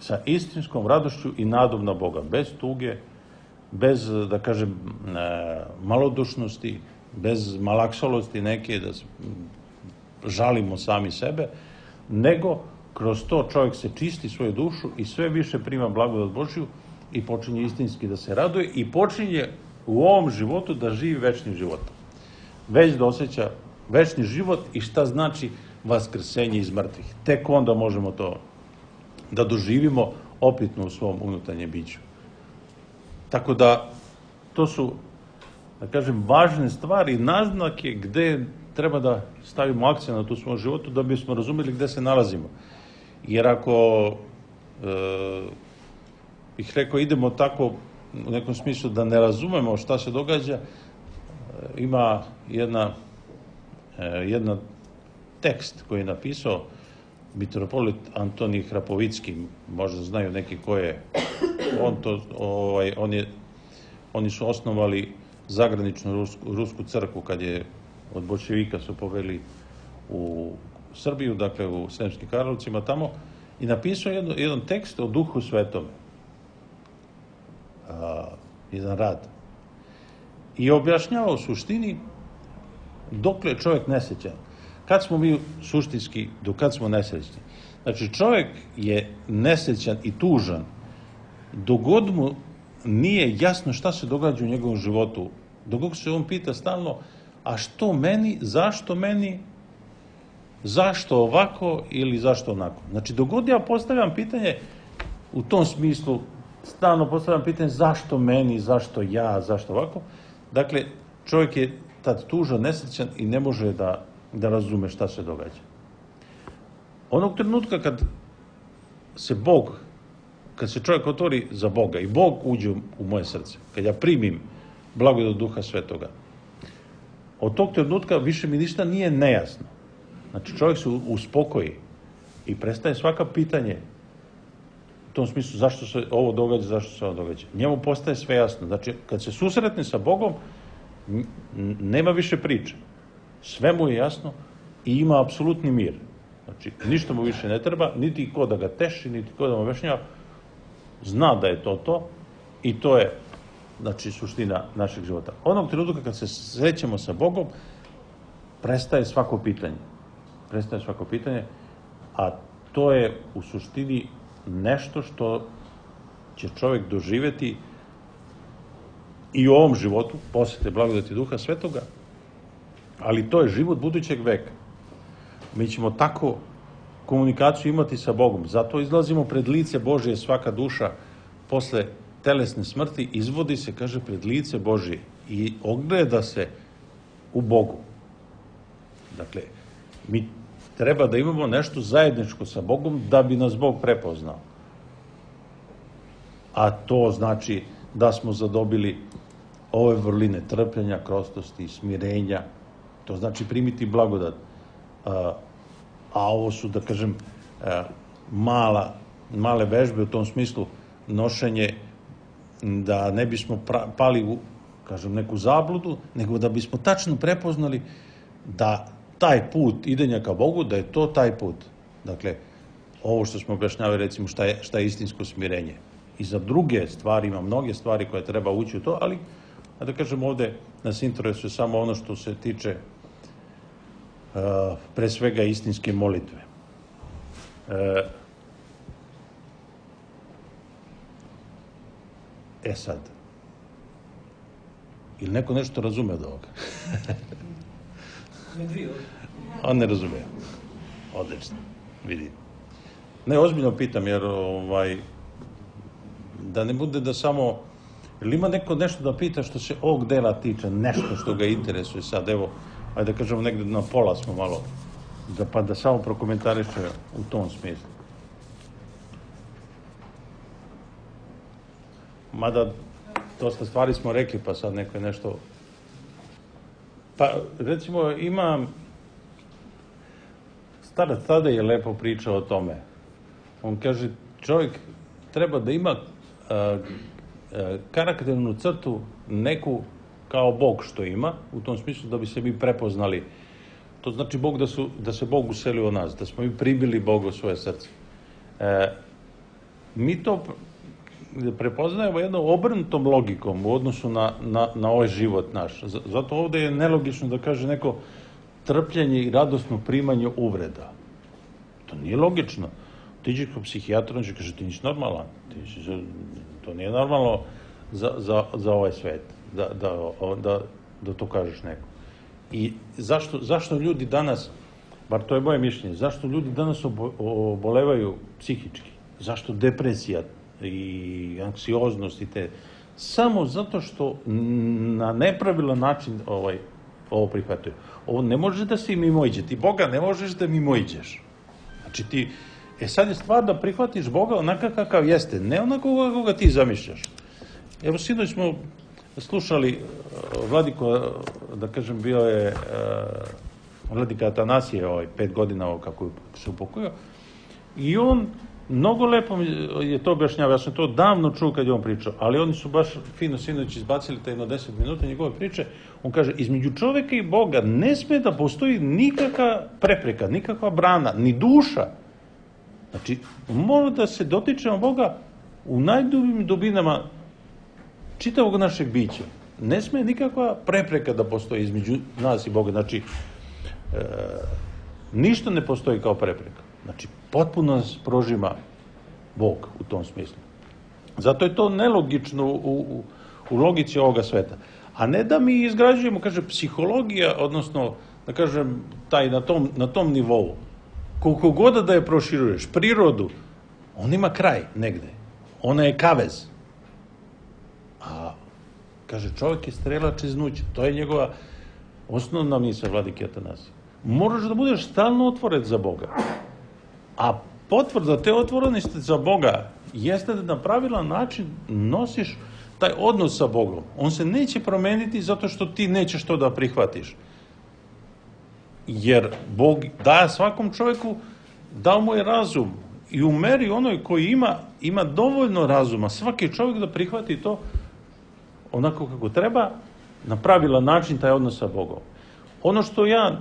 Speaker 3: Sa istinskom radošću i nadom na Boga. Bez tuge, bez, da kažem, malodušnosti, bez malaksalosti neke, da žalimo sami sebe, nego kroz to čovjek se čisti svoju dušu i sve više prima blagodat Božju i počinje istinski da se raduje i počinje u ovom životu da živi večnim životom. Već da osjeća večni život i šta znači vaskrsenje iz mrtvih. Tek onda možemo to da doživimo opitno u svom unutarnjem biću. Tako da, to su, da kažem, važne stvari, naznake gde treba da stavimo akcent na tu svom životu da bismo razumeli gde se nalazimo. Jer ako, e, bih rekao, idemo tako u nekom smislu da ne razumemo šta se događa, ima jedna, jedna tekst koji je napisao mitropolit Antonij Hrapovicki, možda znaju neki ko je, on to, ovaj, on je, oni su osnovali zagraničnu rusku, rusku crkvu kad je od bolševika su poveli u Srbiju, dakle u Sremskim Karlovcima tamo, i napisao jedan, jedan tekst o Duhu Svetome. A, jedan rad. I objašnjavao u suštini dokle je čovjek nesrećan. Kad smo mi suštinski, do kad smo nesrećni? Znači, čovjek je nesrećan i tužan dok god mu nije jasno šta se događa u njegovom životu. Dok god se on pita stalno, a što meni, zašto meni, zašto ovako ili zašto onako. Znači, dok god ja postavljam pitanje u tom smislu, stalno postavljam pitanje zašto meni, zašto ja, zašto ovako, dakle, čovjek je tad tužan, nesrećan i ne može da, da razume šta se događa. Onog trenutka kad se Bog, kad se čovjek otvori za Boga i Bog uđe u moje srce, kad ja primim blagodat Duha Svetoga, od tog trenutka više mi ništa nije nejasno. Znači, čovjek se uspokoji i prestaje svaka pitanje u tom smislu zašto se ovo događa, zašto se ovo događa. Njemu postaje sve jasno. Znači, kad se susretne sa Bogom, nema više priče. Sve mu je jasno i ima apsolutni mir. Znači, ništa mu više ne treba, niti ko da ga teši, niti ko da mu objašnjava. Zna da je to to i to je, znači, suština našeg života. Onog trenutka kad se srećemo sa Bogom, prestaje svako pitanje. Prestaje svako pitanje, a to je u suštini nešto što će čovjek doživjeti i u ovom životu, posle te blagodati Duha Svetoga, ali to je život budućeg veka. Mi ćemo tako komunikaciju imati sa Bogom. Zato izlazimo pred lice Božje, svaka duša posle telesne smrti izvodi se, kaže, pred lice Božje i ogleda se u Bogu. Dakle, mi treba da imamo nešto zajedničko sa Bogom da bi nas Bog prepoznao. A to znači da smo zadobili ove vrline trpljenja, krostosti, smirenja. To znači primiti blagodat. A, a ovo su, da kažem, mala, male vežbe u tom smislu nošenje da ne bismo pra, pali u, kažem, neku zabludu, nego da bismo tačno prepoznali da taj put idenja ka Bogu, da je to taj put. Dakle, ovo što smo objašnjavali, recimo, šta je, šta je istinsko smirenje. I za druge stvari, ima mnoge stvari koje treba ući u to, ali, da kažem, ovde nas interesuje samo ono što se tiče uh, pre svega istinske molitve. Uh, e sad, ili neko nešto razume od ovoga? On ne razume. Odlično, vidi. Ne, ozbiljno pitam, jer ovaj, da ne bude da samo, ili ima neko nešto da pita što se ovog dela tiče, nešto što ga interesuje sad, evo, ajde da kažemo negde na pola smo malo, da, pa da samo prokomentariše u tom smislu. Mada, dosta stvari smo rekli, pa sad neko je nešto... Pa, recimo, ima... Starac tada je lepo pričao o tome. On kaže, čovjek treba da ima a, a, karakternu crtu neku kao Bog što ima, u tom smislu da bi se mi prepoznali. To znači Bog da, su, da se Bog uselio u nas, da smo mi pribili Boga u svoje srce. E, mi to prepoznajemo jednom obrnutom logikom u odnosu na, na, na ovaj život naš. Zato ovde je nelogično da kaže neko trpljenje i radosno primanje uvreda. To nije logično. Ti ćeš kao psihijatru, on će kaže, ti nisi normalan. Ti si, to nije normalno za, za, za ovaj svet, da, da, da, da to kažeš neko. I zašto, zašto ljudi danas, bar to je moje mišljenje, zašto ljudi danas obo, obolevaju psihički? Zašto depresija i anksioznost i te? Samo zato što na nepravilan način ovaj, ovo prihvataju. Ovo ne može da se mimoiđe. Ti Boga ne možeš da mimoiđeš. Znači ti, e sad je stvar da prihvatiš Boga onaka kakav jeste, ne onako koga ti zamišljaš. Evo, sinoć smo slušali vladiko, da kažem, bio je vladika Atanasije, ovaj, pet godina ovo kako se upokojio, i on mnogo lepo je to objašnjavao. Ja sam to davno čuo kad je on pričao, ali oni su baš fino sinoć izbacili taj jedno deset minuta njegove priče. On kaže, između čoveka i Boga ne sme da postoji nikakva prepreka, nikakva brana, ni duša. Znači, mora da se dotičemo Boga u najdubljim dubinama čitavog našeg bića. Ne sme nikakva prepreka da postoji između nas i Boga. Znači, e, ništa ne postoji kao prepreka. Znači, potpuno nas prožima Bog u tom smislu. Zato je to nelogično u, u, u logici ovoga sveta. A ne da mi izgrađujemo, kaže, psihologija, odnosno, da kažem, taj na tom, na tom nivou. Koliko god da je proširuješ, prirodu, on ima kraj negde. Ona je kavez. A, kaže, čovjek je strelač iznuća. To je njegova osnovna misla vladike Atanasije. Moraš da budeš stalno otvoren za Boga. A potvrda te otvorenosti za Boga jeste da na pravilan način nosiš taj odnos sa Bogom. On se neće promeniti zato što ti nećeš to da prihvatiš. Jer Bog daje svakom čovjeku, dao mu je razum i u meri onoj koji ima, ima dovoljno razuma, svaki čovjek da prihvati to onako kako treba, na pravilan način taj odnos sa Bogom. Ono što ja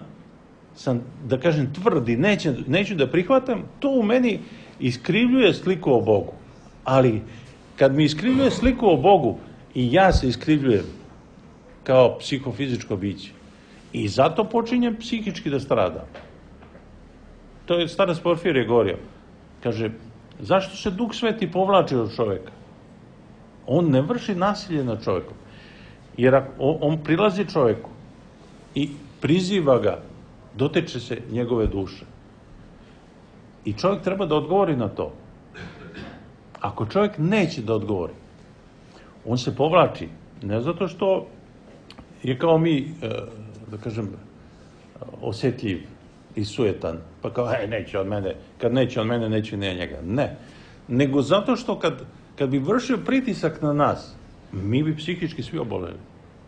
Speaker 3: sam, da kažem, tvrdi, neće, neću da prihvatam, to u meni iskrivljuje sliku o Bogu. Ali kad mi iskrivljuje sliku o Bogu i ja se iskrivljujem kao psihofizičko biće, i zato počinjem psihički da stradam. To je starac Porfirije govorio. Kaže, zašto se Duh Sveti povlači od čovjeka? On ne vrši nasilje nad čovjekom. Jer on prilazi čovjeku i priziva ga, doteče se njegove duše. I čovjek treba da odgovori na to. Ako čovjek neće da odgovori, on se povlači. Ne zato što je kao mi, da kažem, osjetljiv i sujetan, pa kao, hej, neće od mene, kad neće od mene, neće ni njega. Ne. Nego zato što kad, kad bi vršio pritisak na nas, mi bi psihički svi oboleli.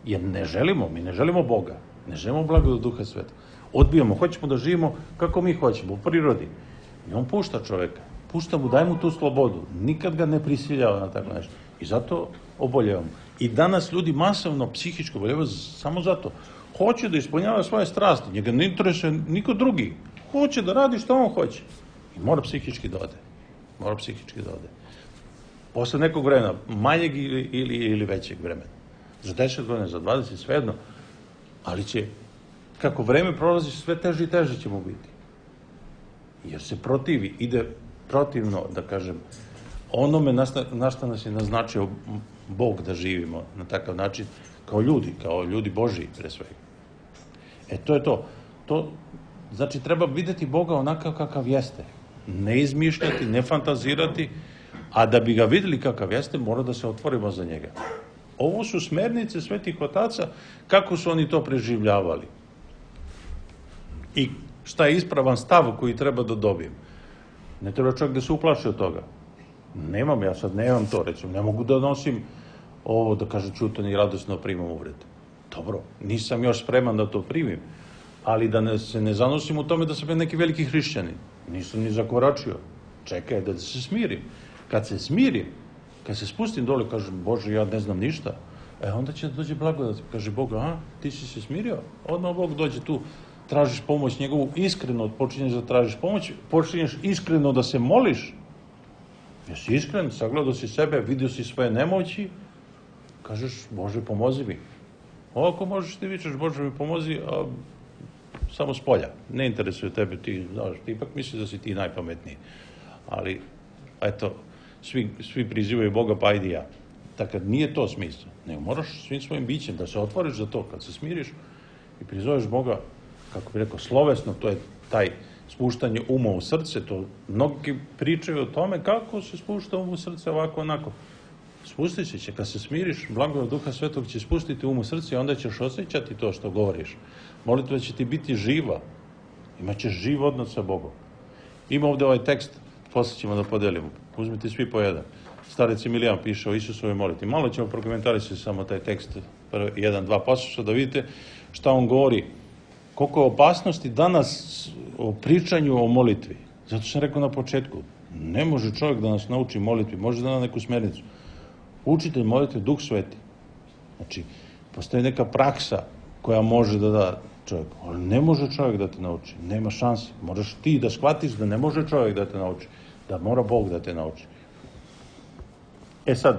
Speaker 3: Jer ne želimo, mi ne želimo Boga, ne želimo blagodat Duha Sveta. Odbijamo, hoćemo da živimo kako mi hoćemo, u prirodi. I on pušta čoveka, pušta mu, daj mu tu slobodu, nikad ga ne prisiljava na tako nešto. I zato oboljevamo. I danas ljudi masovno psihičko oboljevaju samo zato. Hoće da ispunjava svoje strasti, njega ne interesuje niko drugi. Hoće da radi što on hoće. I mora psihički da ode. Mora psihički da ode. Posle nekog vremena, manjeg ili, ili, ili većeg vremena. Za deset godina, za dvadeset, svejedno. Ali će, kako vreme prolazi, sve teže i teže će mu biti. Jer se protivi, ide protivno, da kažem, onome na što nas je naznačio Bog da živimo na takav način, kao ljudi, kao ljudi Božiji, pre svega. E, to je to. To, znači, treba videti Boga onakav kakav jeste. Ne izmišljati, ne fantazirati, a da bi ga videli kakav jeste, mora da se otvorimo za njega. Ovo su smernice svetih otaca, kako su oni to preživljavali. I šta je ispravan stav koji treba da dobijem. Ne treba čovjek da se uplaši od toga. Nemam, ja sad nemam to, recimo, ne mogu da nosim ovo, da kaže, ćutan i radosno primam uvrede. Dobro, nisam još spreman da to primim, ali da ne, se ne zanosim u tome da sam neki veliki hrišćanin. Nisam ni zakoračio. Čekaj da se smirim. Kad se smirim, kad se spustim dole, kažem, Bože, ja ne znam ništa, e, onda će da dođe blagodat. Kaže Bog, a, ti si se smirio? Odmah Bog dođe tu, tražiš pomoć njegovu, iskreno počinješ da tražiš pomoć, počinješ iskreno da se moliš. Jesi iskren, sagledao si sebe, vidio si svoje nemoći, kažeš, Bože, pomozi mi. Ovako možeš ti vičeš, Bože mi pomozi, a samo s polja. Ne interesuje tebe, ti, znaš, ti ipak misliš da si ti najpametniji. Ali, eto, svi, svi prizivaju Boga, pa ajde ja. Tako nije to smisla. Nego moraš svim svojim bićem da se otvoriš za to, kad se smiriš i prizoveš Boga, kako bi rekao, slovesno, to je taj spuštanje uma u srce, to mnogi pričaju o tome kako se spušta um u srce ovako, onako. Spustit će, kad se smiriš, blagodat Duha Svetog će spustiti um u srce i onda ćeš osjećati to što govoriš. Molitva će ti biti živa, imaćeš živ odnos sa Bogom. Ima ovde ovaj tekst, posle ćemo da podelimo, uzmite svi po jedan. starec Emilijan piše o Isusovoj molitvi. Malo ćemo prokomentarisati samo taj tekst, jedan, dva pasoša, da vidite šta on govori. Koliko je opasnosti danas o pričanju o molitvi. Zato sam rekao na početku, ne može čovjek da nas nauči molitvi, može da na neku smernicu. Učitelj molitve, Duh Sveti. Znači, postoji neka praksa koja može da da čovjek, ali ne može čovjek da te nauči, nema šanse. Moraš ti da shvatiš da ne može čovjek da te nauči, da mora Bog da te nauči. E sad,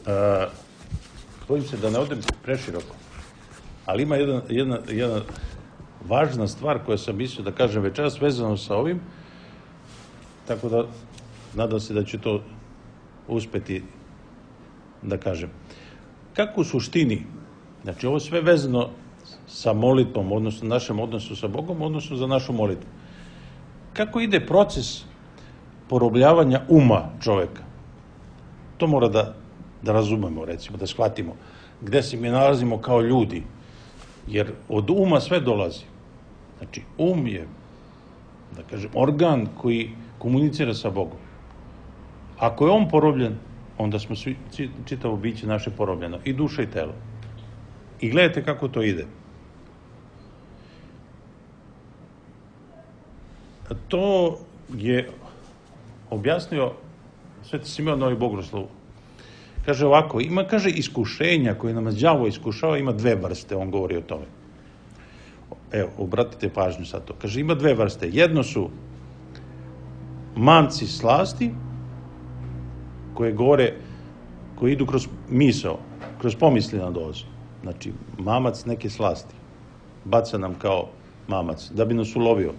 Speaker 3: uh, bojim se da ne odem preširoko, ali ima jedna, jedna, jedna važna stvar koja sam mislio da kažem večeras vezano sa ovim, tako da nadam se da ću to uspeti da kažem. Kako u suštini, znači ovo sve vezano sa molitvom, odnosno našem odnosu sa Bogom, odnosno za našu molitvu. Kako ide proces porobljavanja uma čoveka? To mora da, da razumemo, recimo, da shvatimo gde se mi nalazimo kao ljudi, jer od uma sve dolazi. Znači, um je, da kažem, organ koji komunicira sa Bogom. Ako je on porobljen, onda smo svi, čitavo biće naše porobljeno, i duša i telo. I gledajte kako to ide. To je objasnio Sveti Simeon Novi Bogoslov. Kaže ovako, ima, kaže, iskušenja koje nam đavo iskušava, ima dve vrste, on govori o tome. Evo, obratite pažnju sad to. Kaže, ima dve vrste. Jedno su manci slasti, koje govore, koji idu kroz misao, kroz pomisli na dozu. Znači, mamac neke slasti baca nam kao mamac, da bi nas ulovio.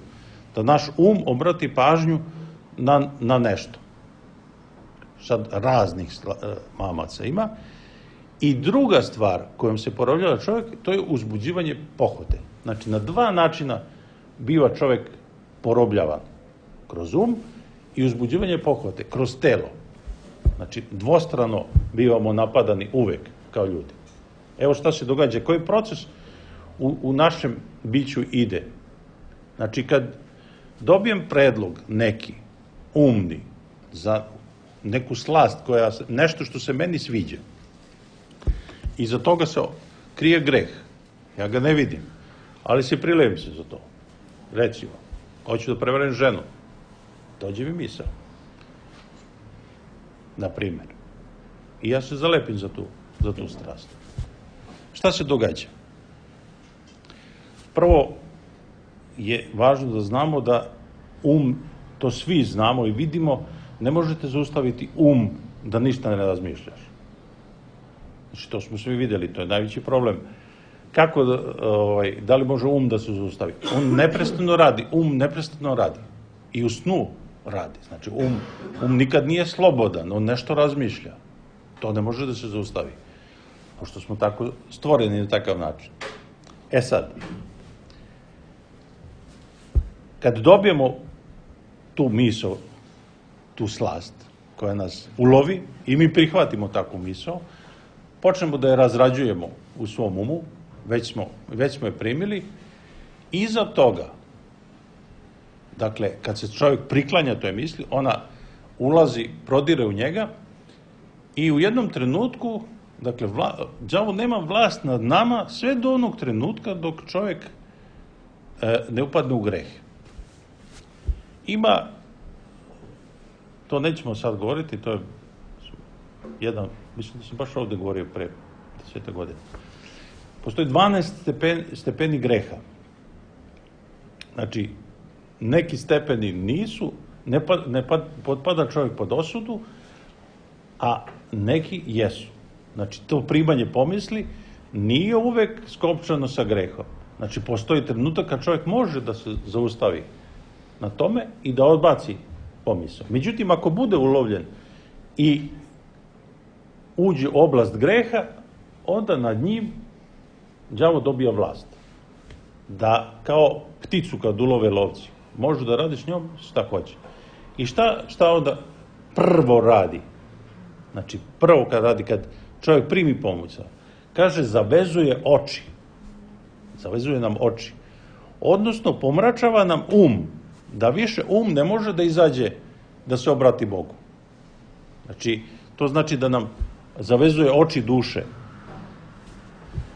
Speaker 3: Da naš um obrati pažnju na, na nešto. Sad raznih sla, mamaca ima. I druga stvar kojom se porobljava čovjek, to je uzbuđivanje pohote. Znači, na dva načina biva čovjek porobljavan. Kroz um i uzbuđivanje pohote, kroz telo. Znači, dvostrano bivamo napadani uvek kao ljudi. Evo šta se događa, koji proces u, u našem biću ide. Znači, kad dobijem predlog neki, umni, za neku slast, koja, nešto što se meni sviđa, iza toga se krije greh. Ja ga ne vidim, ali se prilepim se za to. Recimo, hoću da prevarim ženu. Dođe mi misao. Na primjer. I ja se zalepim za tu, za tu strast. Šta se događa? Prvo je važno da znamo da um, to svi znamo i vidimo, ne možete zaustaviti um da ništa ne razmišljaš. Znači, to smo svi vidjeli, to je najveći problem. Kako da, ovaj, da li može um da se zaustavi? On neprestano radi, um neprestano radi. I u snu radi. Znači, um, um nikad nije slobodan, on nešto razmišlja. To ne može da se zaustavi. Pošto smo tako stvoreni na takav način. E sad, kad dobijemo tu misao, tu slast koja nas ulovi i mi prihvatimo takvu misao, počnemo da je razrađujemo u svom umu, već smo, već smo je primili, iza toga, dakle, kad se čovjek priklanja toj misli, ona ulazi, prodire u njega i u jednom trenutku, dakle, vla, đavo nema vlast nad nama sve do onog trenutka dok čovjek e, ne upadne u greh. Ima, to nećemo sad govoriti, to je jedan, mislim da sam baš ovdje govorio pre desete godine. Postoji dvanaest stepen, stepeni greha. Znači, neki stepeni nisu, ne, pa, ne pa, potpada čovjek pod osudu, a neki jesu. Znači, to primanje pomisli nije uvek skopčano sa grehom. Znači, postoji trenutak kad čovjek može da se zaustavi na tome i da odbaci pomisao. Međutim, ako bude ulovljen i uđe u oblast greha, onda nad njim đavo dobija vlast. Da, kao pticu kad ulove lovci, može da radi s njom šta hoće. I šta, šta onda prvo radi? Znači, prvo kad radi, kad čovjek primi pomisao, kaže, zavezuje oči. Zavezuje nam oči. Odnosno, pomračava nam um, da više um ne može da izađe da se obrati Bogu. Znači, to znači da nam zavezuje oči duše.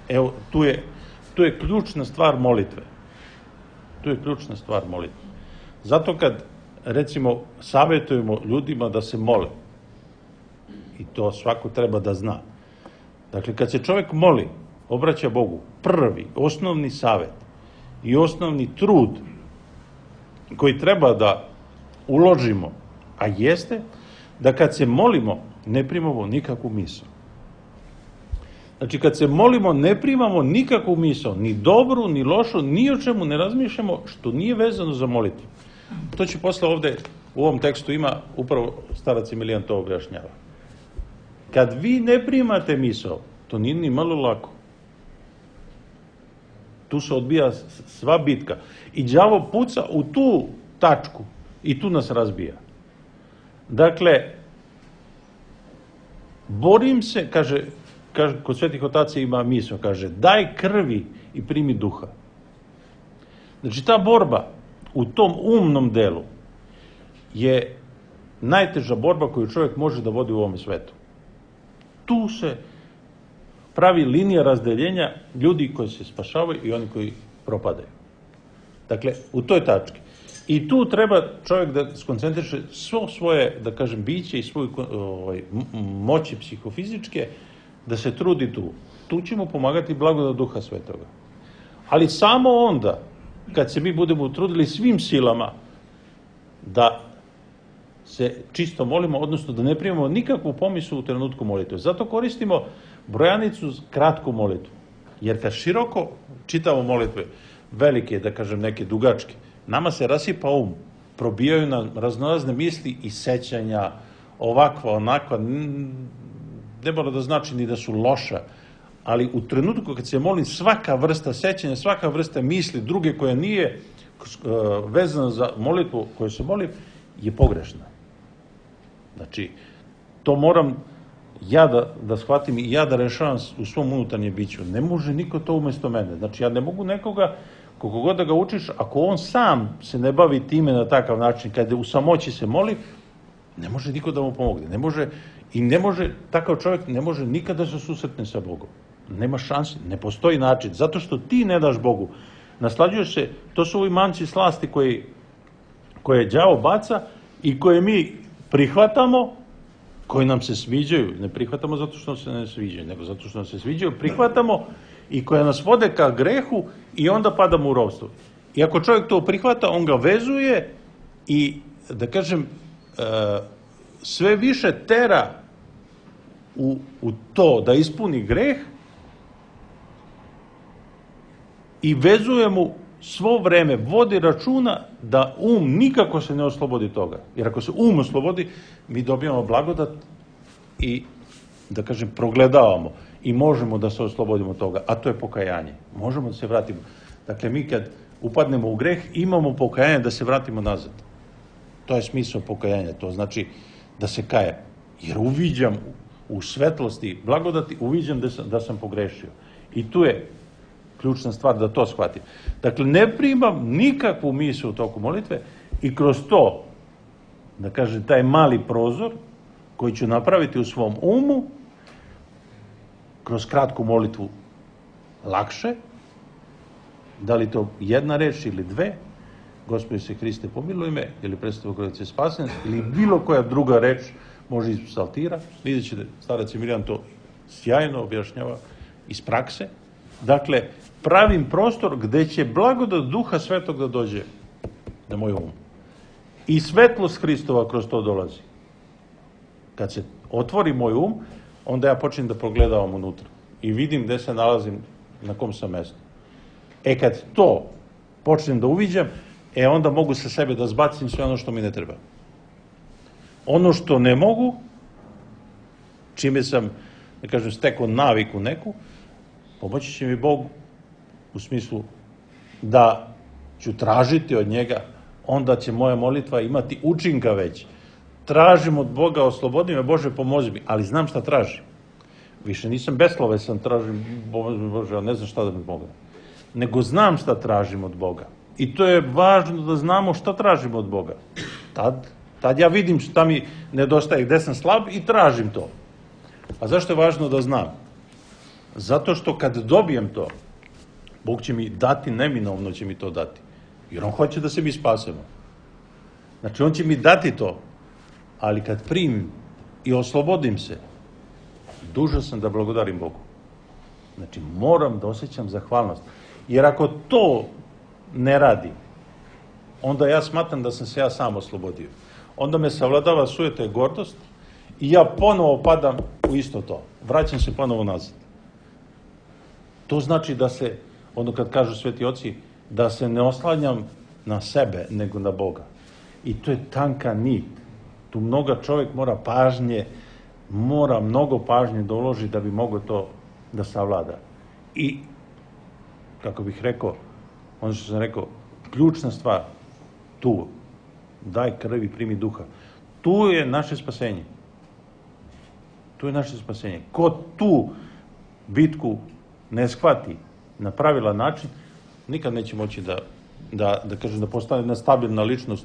Speaker 3: Evo, tu je, tu je ključna stvar molitve. Tu je ključna stvar molitve. Zato kad, recimo, savjetujemo ljudima da se mole, i to svako treba da zna. Dakle, kad se čovjek moli, obraća Bogu, prvi, osnovni savjet i osnovni trud koji treba da uložimo, a jeste da kad se molimo, ne primamo nikakvu misao. Znači, kad se molimo, ne primamo nikakvu misao, ni dobru, ni lošu, ni o čemu ne razmišljamo što nije vezano za molitvu. To će posle ovde, u ovom tekstu ima, upravo starac Emilijan to objašnjava. Kad vi ne primate misao, to nije ni malo lako. Tu se odbija sva bitka. I đavo puca u tu tačku i tu nas razbija. Dakle, borim se, kaže, kaže kod svetih otaca ima misao, kaže, daj krvi i primi duha. Znači, ta borba u tom umnom delu je najteža borba koju čovjek može da vodi u ovom svetu. Tu se pravi linija razdeljenja ljudi koji se spašavaju i oni koji propadaju. Dakle, u toj tački. I tu treba čovjek da skoncentriše svo svoje, da kažem, biće i svoje ovaj, moći psihofizičke, da se trudi tu. Tu će mu pomagati blagodat Duha Svetoga. Ali samo onda, kad se mi budemo trudili svim silama da se čisto molimo, odnosno da ne primamo nikakvu pomislu u trenutku molitve. Zato koristimo brojanicu kratku molitvu. Jer kad široko čitamo molitve, velike, da kažem, neke dugačke, nama se rasipa um, probijaju nam raznorazne misli i sećanja, ovakva, onakva, ne mora da znači ni da su loša, ali u trenutku kad se molim, svaka vrsta sećanja, svaka vrsta misli, druge koja nije vezana za molitvu koju se molim, je pogrešna. Znači, to moram ja da, da shvatim i ja da rešavam u svom unutarnjem biću. Ne može niko to umesto mene. Znači, ja ne mogu nekoga, koliko god da ga učiš, ako on sam se ne bavi time na takav način, kada u samoći se moli, ne može niko da mu pomogne. Ne može, i ne može, takav čovjek ne može nikada da se susretne sa Bogom. Nema šanse, ne postoji način. Zato što ti ne daš Bogu. Naslađuješ se, to su ovi manci slasti koji, koje đavo baca i koje mi prihvatamo, koji nam se sviđaju. Ne prihvatamo zato što se ne sviđaju, nego zato što nam se sviđaju, prihvatamo i koje nas vode ka grehu i onda padamo u ropstvo. I ako čovjek to prihvata, on ga vezuje i, da kažem, sve više tera u, u to da ispuni greh i vezuje mu svo vreme, vodi računa da um nikako se ne oslobodi toga. Jer ako se um oslobodi, mi dobijamo blagodat i, da kažem, progledavamo i možemo da se oslobodimo toga, a to je pokajanje. Možemo da se vratimo. Dakle, mi kad upadnemo u greh, imamo pokajanje da se vratimo nazad. To je smisao pokajanja, to znači da se kaje. Jer uviđam u svetlosti blagodati, uviđam da sam, da sam pogrešio. I tu je ključna stvar da to shvatim. Dakle, ne primam nikakvu misiju u toku molitve i kroz to, da kažem, taj mali prozor koji ću napraviti u svom umu, kroz kratku molitvu lakše, da li to jedna reč ili dve, Gospodи se Hriste pomiluj me, ili predstavu koja se spasen, ili bilo koja druga reč može iz psaltira. Vidjet ćete, starac Emilijan to sjajno objašnjava iz prakse. Dakle, pravim prostor gde će blagodat Duha Svetog da dođe na moj um. I svetlost Hristova kroz to dolazi. Kad se otvori moj um, onda ja počnem da progledavam unutra i vidim gde se nalazim, na kom sam mestu. E kad to počnem da uviđam, e onda mogu sa sebe da zbacim sve ono što mi ne treba. Ono što ne mogu, čime sam, da kažem, stekao naviku neku, pomoći će mi Bog u smislu da ću tražiti od njega, onda će moja molitva imati učinka već. Tražim od Boga, oslobodi me, Bože, pomozi mi, ali znam šta tražim. Više nisam beslovesan, tražim, Bože, ne znam šta da mi pomogne. Nego znam šta tražim od Boga. I to je važno da znamo šta tražimo od Boga. Tad, Tad ja vidim šta mi nedostaje, gde sam slab i tražim to. A zašto je važno da znam? Zato što kad dobijem to, Bog će mi dati, neminovno će mi to dati. Jer on hoće da se mi spasemo. Znači, on će mi dati to, ali kad primim i oslobodim se, dužan sam da blagodarim Bogu. Znači, moram da osjećam zahvalnost. Jer ako to ne radim, onda ja smatram da sam se ja sam oslobodio. Onda me savladava sujeta i gordost i ja ponovo padam u isto to. Vraćam se ponovo nazad. To znači da se, ono kad kažu sveti oci, da se ne oslanjam na sebe, nego na Boga. I to je tanka nit. Tu mnoga čovjek mora pažnje, mora mnogo pažnje da uloži da bi mogao to da savlada. I, kako bih rekao, ono što sam rekao, ključna stvar, tu, daj krv i primi duha. Tu je naše spasenje. Tu je naše spasenje. Ko tu bitku ne shvati na pravilan način, nikad neće moći da, da, da kažem, da postane jedna stabilna ličnost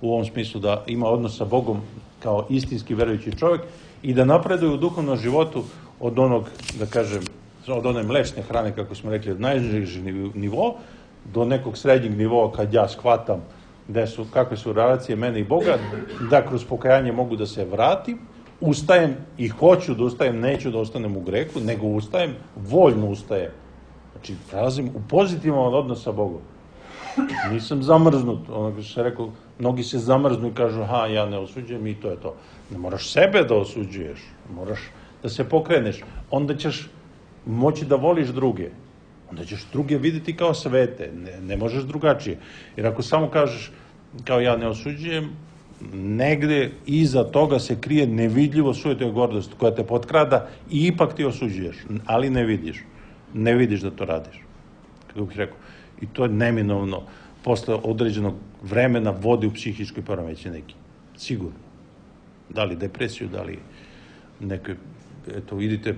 Speaker 3: u ovom smislu, da ima odnos sa Bogom kao istinski verujući čovjek i da napreduje u duhovnom životu od onog, da kažem, od one mlečne hrane, kako smo rekli, od najnižeg nivoa do nekog srednjeg nivoa kad ja shvatam gde su, kakve su relacije mene i Boga, da kroz pokajanje mogu da se vratim, ustajem i hoću da ustajem, neću da ostanem u grehu, nego ustajem, voljno ustajem. Znači, prelazim u pozitivan odnos sa Bogom. Nisam zamrznut, ono što se rekao, mnogi se zamrznu i kažu, ha, ja ne osuđujem i to je to. Ne moraš sebe da osuđuješ, moraš da se pokreneš, onda ćeš moći da voliš druge, onda ćeš druge vidjeti kao svete, ne, ne možeš drugačije. Jer ako samo kažeš, kao ja ne osuđujem, negde iza toga se krije nevidljivo sujeta i gordost koja te potkrada i ipak ti osuđuješ, ali ne vidiš. Ne vidiš da to radiš. Kako bih rekao. I to je neminovno. Posle određenog vremena vodi u psihičkoj poremećaj neki. Sigurno. Da li depresiju, da li neke, eto, idite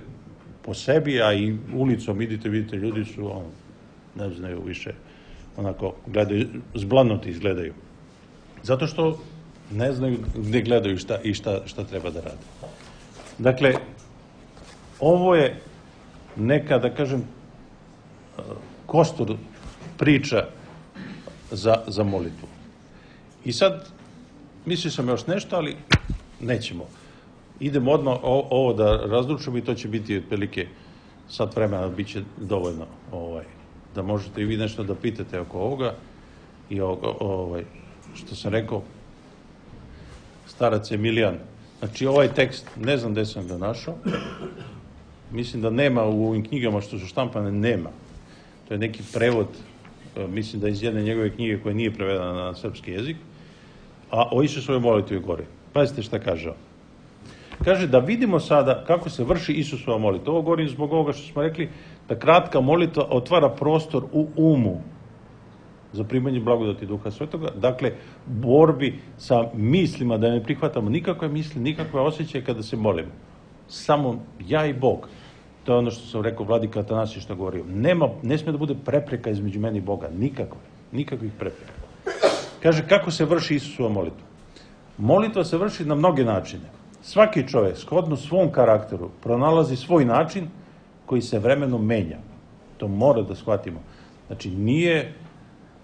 Speaker 3: po sebi, a i ulicom idite, vidite, ljudi su, on, ne znaju više, onako, gledaju, zblanuti izgledaju. Zato što ne znaju gde gledaju šta, i šta, šta treba da rade. Dakle, ovo je neka, da kažem, kostur priča za, za molitvu. I sad, mislio sam još nešto, ali nećemo. Idemo odmah o, ovo da razlučimo i to će biti otprilike sat vremena, bit će dovoljno ovaj, da možete i vi nešto da pitate oko ovoga i ovoga, ovaj, što sam rekao, starac Emilijan. Znači, ovaj tekst, ne znam gde sam ga našao, mislim da nema u ovim knjigama što su štampane, nema. To je neki prevod, mislim da iz jedne njegove knjige koja nije prevedena na srpski jezik, a o Isusovoj molitvi gore. Pazite šta kaže on. Kaže da vidimo sada kako se vrši Isusova molitva. Ovo govorim zbog ovoga što smo rekli, da kratka molitva otvara prostor u umu za primanje blagodati Duha Svetoga. Dakle, borbi sa mislima, da ne prihvatamo nikakve misli, nikakve osjećaje kada se molimo. Samo ja i Bog. To je ono što sam rekao vladika Atanasije što govorio. Nema, ne smije da bude prepreka između meni i Boga. Nikakve. Nikakvih prepreka. Kaže kako se vrši Isusova molitva. Molitva se vrši na mnoge načine. Svaki čovjek, shodno svom karakteru, pronalazi svoj način koji se vremenom menja. To mora da shvatimo. Znači, nije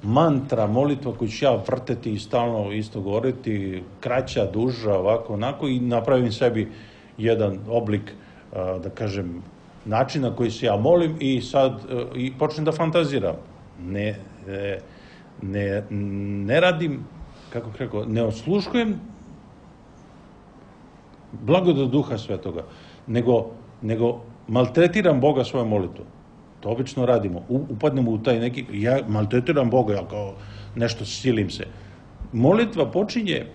Speaker 3: mantra, molitva koju ću ja vrteti i stalno isto govoriti, kraća, duža, ovako, onako, i napravim sebi jedan oblik, da kažem, načina koji se ja molim i sad i počnem da fantaziram. Ne, ne, ne radim, kako bih rekao, ne osluškujem blagodat Duha Svetoga, nego, nego maltretiram Boga svojom molitvom. To obično radimo. Upadnemo u taj neki, ja maltretiram Boga, ja kao nešto silim se. Molitva počinje,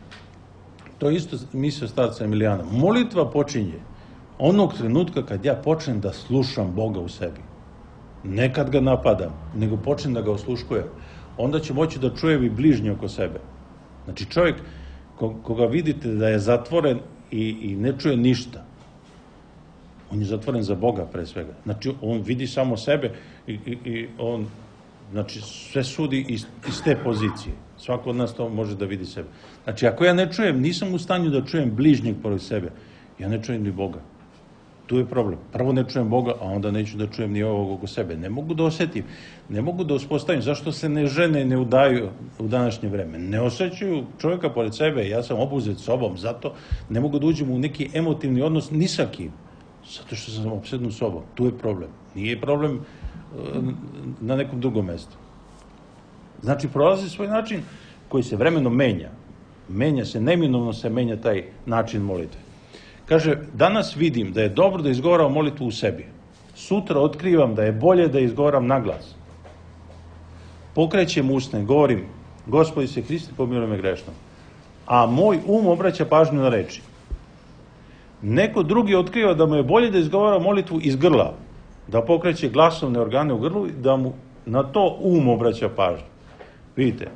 Speaker 3: to je isto mislio starca Emilijana, molitva počinje onog trenutka kad ja počnem da slušam Boga u sebi. Ne kad ga napadam, nego počnem da ga osluškujem. Onda će moći da čujem i bližnje oko sebe. Znači čovjek koga vidite da je zatvoren i, i ne čuje ništa, on je zatvoren za Boga pre svega. Znači on vidi samo sebe i, i, i on Znači, sve sudi iz, iz te pozicije. Svako od nas to može da vidi sebe. Znači, ako ja ne čujem, nisam u stanju da čujem bližnjeg pored sebe, ja ne čujem ni Boga. Tu je problem. Prvo ne čujem Boga, a onda neću da čujem ni ovog oko sebe. Ne mogu da osetim, ne mogu da uspostavim. Zašto se ne žene ne udaju u današnje vreme? Ne osjećaju čovjeka pored sebe, ja sam obuzet sobom, zato ne mogu da uđem u neki emotivni odnos ni sa kim. Zato što sam opsednut sobom. Tu je problem. Nije problem na nekom drugom mjestu. Znači, prolazi svoj način koji se vremenom menja. Menja se, neminovno se menja taj način molitve. Kaže, danas vidim da je dobro da izgovaram molitvu u sebi. Sutra otkrivam da je bolje da izgovaram na glas. Pokrećem usne, govorim, Gospodi se Hriste, pomiluj me grešnom. A moj um obraća pažnju na reči. Neko drugi otkriva da mu je bolje da izgovara molitvu iz grla, da pokreće glasovne organe u grlu i da mu na to um obraća pažnju. Vidite,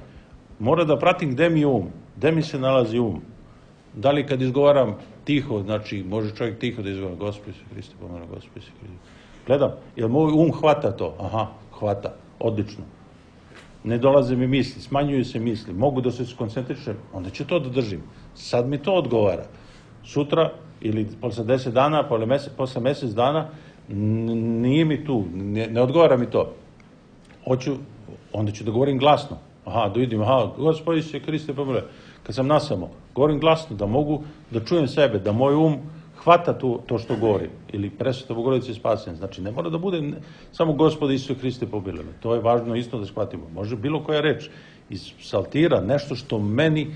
Speaker 3: mora da pratim gde mi je um, gde mi se nalazi um. Da li kad izgovaram tiho, znači može čovjek tiho da izgovara Gospodi se Hriste, pomiluj me, Gospodi se Hriste. Gledam, jel moj um hvata to? Aha, hvata, odlično. Ne dolaze mi misli, smanjuju se misli, mogu da se skoncentrišem, onda ću to da držim. Sad mi to odgovara. Sutra ili posle deset dana, posle mesec dana, nije mi tu, ne, ne odgovara mi to. Hoću, onda ću da govorim glasno. Aha, da vidim, aha, Gospodi se Hriste, pomiluj. Kad sam nasamo, govorim glasno, da mogu da čujem sebe, da moj um hvata tu, to što govorim. Ili Presveta Bogorodice spasen. Znači, ne mora da bude samo Gospodi Isuse Hriste, pomiluj me. To je važno isto da shvatimo. Može bilo koja reč iz psaltira, nešto što meni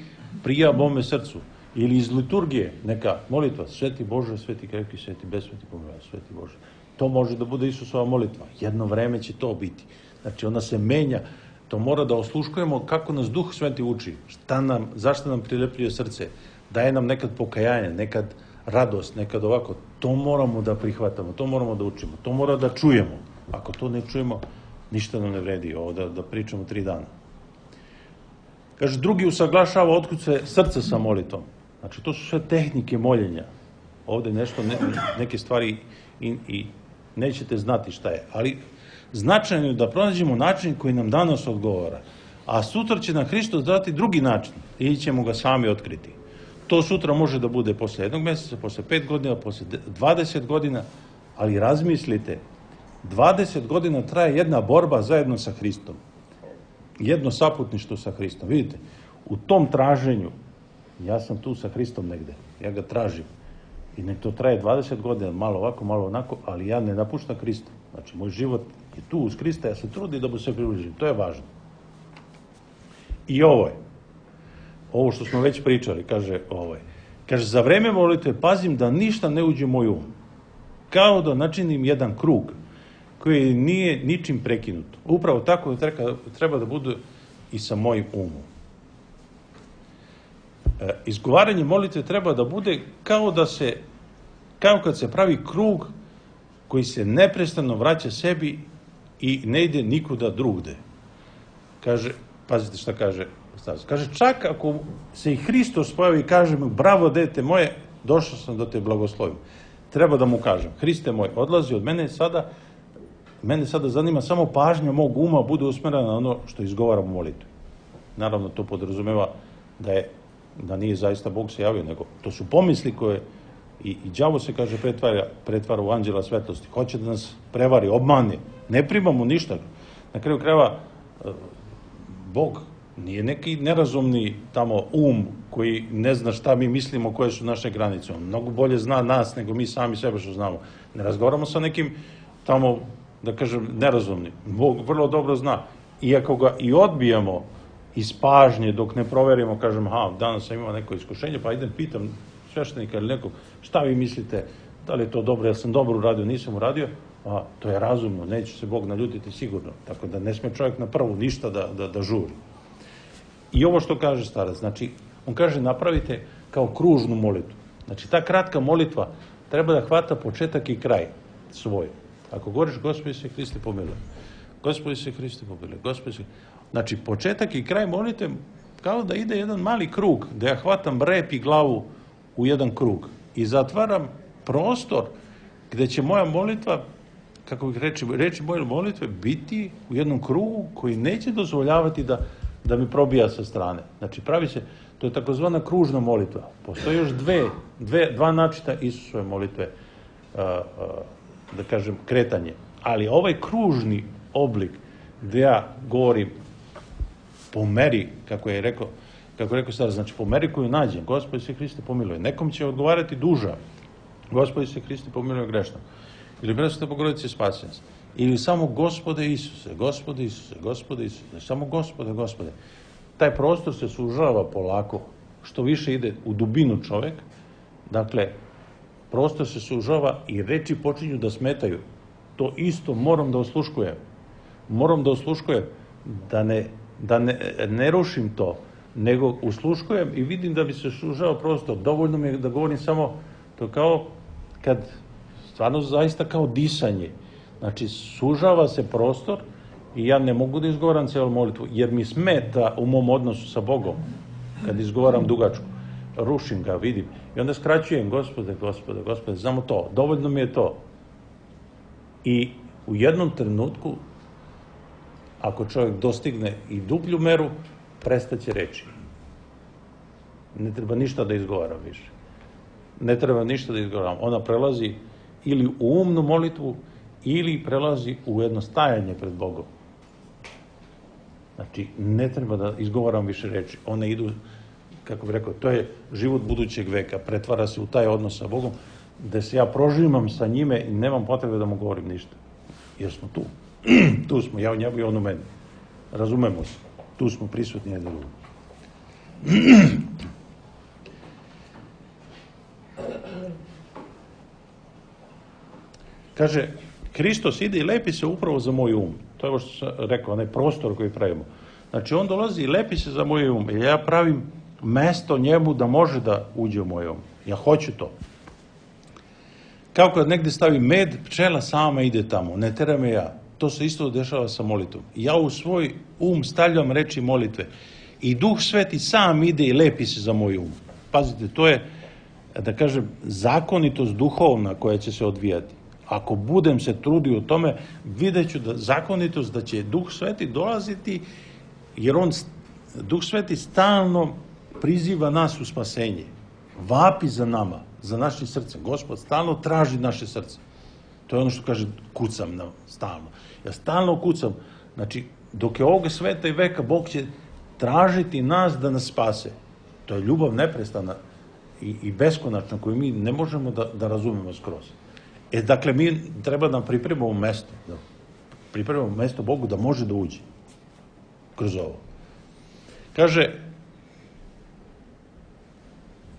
Speaker 3: prija mome srcu. Ili iz liturgije, neka molitva, Sveti Bože, Sveti krepki, Sveti besveti, pomiluj, Sveti Bože. To može da bude Isusova molitva. Jedno vreme će to biti. Znači, ona se menja. To mora da osluškujemo kako nas Duh Sveti uči. Šta nam, zašto nam prilepljuje srce. Daje nam nekad pokajanje, nekad radost, nekad ovako. To moramo da prihvatamo, to moramo da učimo. To mora da čujemo. Ako to ne čujemo, ništa nam ne vredi. Ovo da, da pričamo tri dana. Kaže, drugi usaglašava otkud se srce sa molitvom. Znači, to su sve tehnike moljenja. Ovde nešto, ne, neke stvari i, i nećete znati šta je. Ali značajno je da pronađemo način koji nam danas odgovara. A sutra će nam Hristos dati drugi način. Ili ćemo ga sami otkriti. To sutra može da bude posle jednog meseca, posle pet godina, posle dvadeset godina, ali razmislite, dvadeset godina traje jedna borba zajedno sa Hristom. Jedno saputništvo sa Hristom. Vidite, u tom traženju, ja sam tu sa Hristom negde, ja ga tražim. I nek to traje dvadeset godina, malo ovako, malo onako, ali ja ne napuštam Hrista. Znači, moj život je tu uz Hrista, ja se trudim da mu se približim. To je važno. I ovo je. Ovo što smo već pričali, kaže ovo je. Kaže, za vreme molitve pazim da ništa ne uđe u moj um. Kao da načinim jedan krug koji nije ničim prekinut. Upravo tako treba, treba da bude i sa mojim umom. E, izgovaranje molitve treba da bude kao da se, kao kad se pravi krug koji se neprestano vraća sebi i ne ide nikuda drugde. Kaže, pazite šta kaže Stav. Kaže, čak ako se i Hristos pojavi i kaže mu, bravo dete moje, došao sam da te blagoslovim. Treba da mu kažem, Hriste moj, odlazi od mene sada, mene sada zanima samo pažnja mog uma bude usmerena na ono što izgovaram u molitvi. Naravno, to podrazumeva da je, da nije zaista Bog se javio, nego to su pomisli koje i, i đavo se, kaže, pretvara, pretvara u anđela svetlosti. Hoće da nas prevari, obmane. Ne primamo ništa. Na kraju krajeva, Bog nije neki nerazumni tamo um koji ne zna šta mi mislimo, koje su naše granice. On mnogo bolje zna nas nego mi sami sebe što znamo. Ne razgovaramo sa nekim tamo, da kažem, nerazumnim. Bog vrlo dobro zna. Iako ga i odbijamo iz pažnje dok ne proverimo, kažem, ha, danas sam imao neko iskušenje, pa idem pitam sveštenika ili nekog, šta vi mislite, da li je to dobro, ja sam dobro uradio, nisam uradio, a to je razumno, neće se Bog naljutiti sigurno. Tako da ne sme čovjek na prvu ništa da, da, da žuri. I ovo što kaže starac, znači, on kaže napravite kao kružnu molitvu. Znači, ta kratka molitva treba da hvata početak i kraj svoj. Ako govoriš, Gospodi se Hriste pomiluj, Gospodi se Hriste pomiluj, Gospodi se... Znači, početak i kraj molitve kao da ide jedan mali krug, da ja hvatam rep i glavu u jedan krug i zatvaram prostor gde će moja molitva kako bih reči, reči moje molitve biti u jednom krugu koji neće dozvoljavati da, da mi probija sa strane. Znači, pravi se, to je takozvana kružna molitva. Postoje još dve, dve, dva načina Isusove molitve, a, a, da kažem, kretanje. Ali ovaj kružni oblik gde ja govorim po meri, kako je rekao, kako je rekao stara, znači po meri koju nađem, Gospod Isus Hriste pomiluje. Nekom će odgovarati duža, Gospod Isus Hriste pomiluje grešno. Ili Presveta Bogorodice spasi nas. Ili samo Gospode Isuse, Gospode Isuse, Gospode Isuse, samo Gospode, Gospode. Taj prostor se sužava polako, što više ide u dubinu čovek, dakle, prostor se sužava i reči počinju da smetaju. To isto moram da osluškujem. Moram da osluškujem, da ne, da ne, ne rušim to, nego usluškujem i vidim da bi se sužao prostor. Dovoljno mi je da govorim samo to kao kad, stvarno zaista kao disanje. Znači, sužava se prostor i ja ne mogu da izgovaram cijelu molitvu, jer mi smeta u mom odnosu sa Bogom, kad izgovaram dugačku. Rušim ga, vidim. I onda skraćujem, Gospode, Gospode, Gospode, samo to. Dovoljno mi je to. I u jednom trenutku, ako čovjek dostigne i dublju meru, prestaće reći. Ne treba ništa da izgovaram više. Ne treba ništa da izgovaram. Ona prelazi ili u umnu molitvu, ili prelazi u jedno stajanje pred Bogom. Znači, ne treba da izgovaram više reči. One idu, kako bih rekao, to je život budućeg veka. Pretvara se u taj odnos sa Bogom, gde se ja prožimam sa njime i nemam potrebe da mu govorim ništa. Jer smo tu. Tu smo, ja u njemu i on u meni. Razumemo se. Tu smo prisutni jedni drugi. Kaže, Hristos ide i lepi se upravo za moj um. To je ovo što sam rekao, onaj prostor koji pravimo. Znači, on dolazi i lepi se za moj um. Jer ja pravim mesto njemu da može da uđe u moj um. Ja hoću to. Kao kad negde stavi med, pčela sama ide tamo. Ne tera me ja. To se isto dešava sa molitvom. Ja u svoj um stavljam reči molitve. I Duh Sveti sam ide i lepi se za moj um. Pazite, to je, da kažem, zakonitost duhovna koja će se odvijati. Ako budem se trudio u tome, vidjet ću da zakonitost, da će Duh Sveti dolaziti, jer on, Duh Sveti stalno priziva nas u spasenje. Vapi za nama, za našim srcem. Gospod stalno traži naše srce. To je ono što kaže, kucam na, stalno. Ja stalno kucam. Znači, dok je ovoga sveta i veka, Bog će tražiti nas da nas spase. To je ljubav neprestana i, i beskonačna koju mi ne možemo da, da razumemo skroz. E, dakle, mi treba da pripremimo mesto, da pripremimo mesto Bogu da može da uđe kroz ovo. Kaže,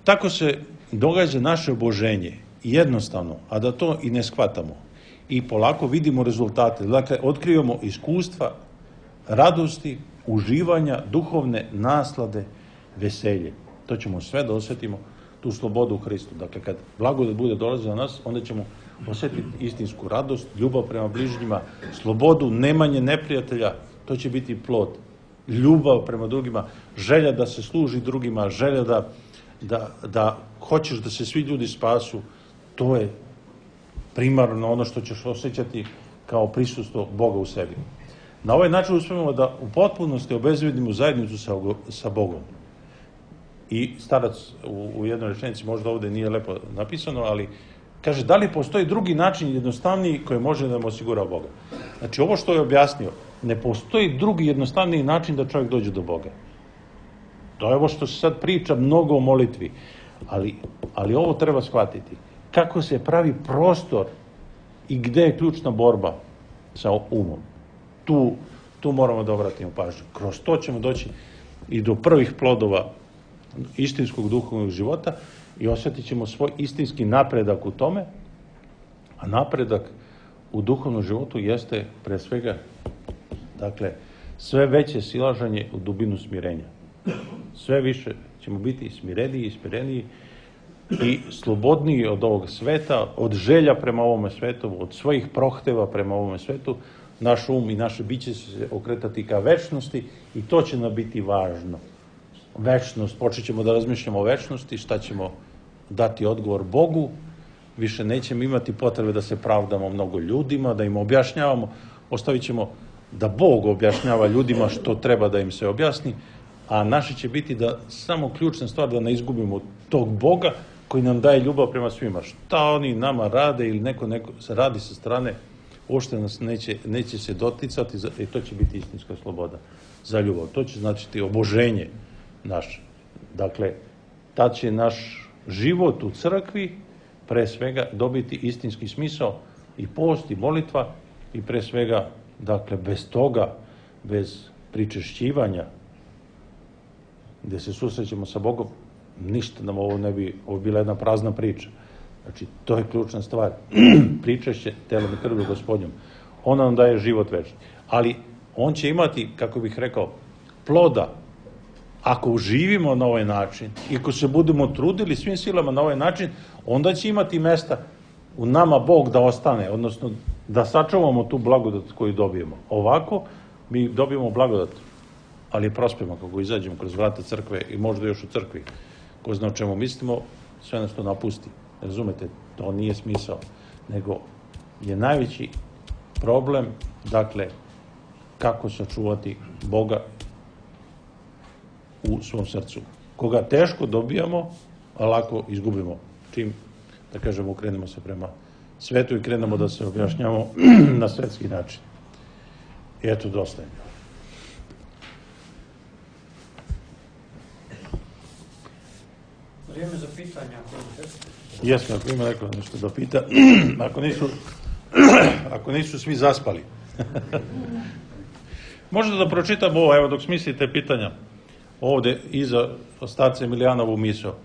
Speaker 3: tako se događa naše oboženje, jednostavno, a da to i ne shvatamo. I polako vidimo rezultate. Dakle, otkrivamo iskustva, radosti, uživanja, duhovne naslade, veselje. To ćemo sve da osjetimo, tu slobodu u Hristu. Dakle, kad blagodat bude dolazila na nas, onda ćemo osjetiti istinsku radost, ljubav prema bližnjima, slobodu, nemanje neprijatelja, to će biti plod. Ljubav prema drugima, želja da se služi drugima, želja da, da, da hoćeš da se svi ljudi spasu, to je primarno ono što ćeš osjećati kao prisustvo Boga u sebi. Na ovaj način uspemo da u potpunosti obezbedimo zajednicu sa, sa Bogom. I starac u, u jednoj rečenici, možda ovde nije lepo napisano, ali kaže, da li postoji drugi način jednostavniji koji može da nam osigura Boga? Znači, ovo što je objasnio, ne postoji drugi jednostavniji način da čovjek dođe do Boga. To je ovo što se sad priča mnogo o molitvi, ali, ali ovo treba shvatiti. Kako se pravi prostor i gde je ključna borba sa umom. Tu, tu moramo da obratimo pažnju. Kroz to ćemo doći i do prvih plodova istinskog duhovnog života i osjetit ćemo svoj istinski napredak u tome, a napredak u duhovnom životu jeste pre svega, dakle, sve veće silažanje u dubinu smirenja. Sve više ćemo biti smireniji i smireniji i slobodniji od ovog sveta, od želja prema ovome svetu, od svojih prohteva prema ovome svetu. Naš um i naše biće će se okretati ka večnosti i to će nam biti važno. Večnost, počet ćemo da razmišljamo o večnosti, šta ćemo dati odgovor Bogu više nećemo imati potrebe da se pravdamo mnogo ljudima, da im objašnjavamo, ostavit ćemo da Bog objašnjava ljudima što treba da im se objasni, a naše će biti da samo ključna stvar da ne izgubimo tog Boga koji nam daje ljubav prema svima. Šta oni nama rade ili neko, neko se radi sa strane, uopšte nas neće, neće se doticati i to će biti istinska sloboda za ljubav. To će značiti oboženje naše. Dakle, tad će naš život u crkvi pre svega dobiti istinski smisao i post i molitva i pre svega, dakle, bez toga, bez pričešćivanja, gde se susrećemo sa Bogom, ništa nam ovo ne bi, ovo bila jedna prazna priča. Znači, to je ključna stvar. Pričešće telom i krvlju Gospodnjom. Ona nam daje život večni. Ali on će imati, kako bih rekao, ploda ako živimo na ovaj način i ako se budemo trudili svim silama na ovaj način, onda će imati mesta u nama Bog da ostane, odnosno da sačuvamo tu blagodat koju dobijemo. Ovako mi dobijemo blagodat, ali je prospemo kako izađemo kroz vrata crkve i možda još u crkvi. Ko zna o čemu mislimo, sve nas to napusti. Razumete, to nije smisao, nego je najveći problem, dakle, kako sačuvati Boga u svom srcu. Koga teško dobijamo, a lako izgubimo. Čim, da kažemo, krenemo se prema svetu i krenemo da se objašnjamo na svetski način. I eto, dosta je.
Speaker 1: Vrijeme za pitanja.
Speaker 3: Jesmo, ako ima neko nešto da pita. Ako nisu, ako nisu svi zaspali. Možda da pročitam ovo, evo dok smislite pitanja, ovde iza starca Emilijanovu misao.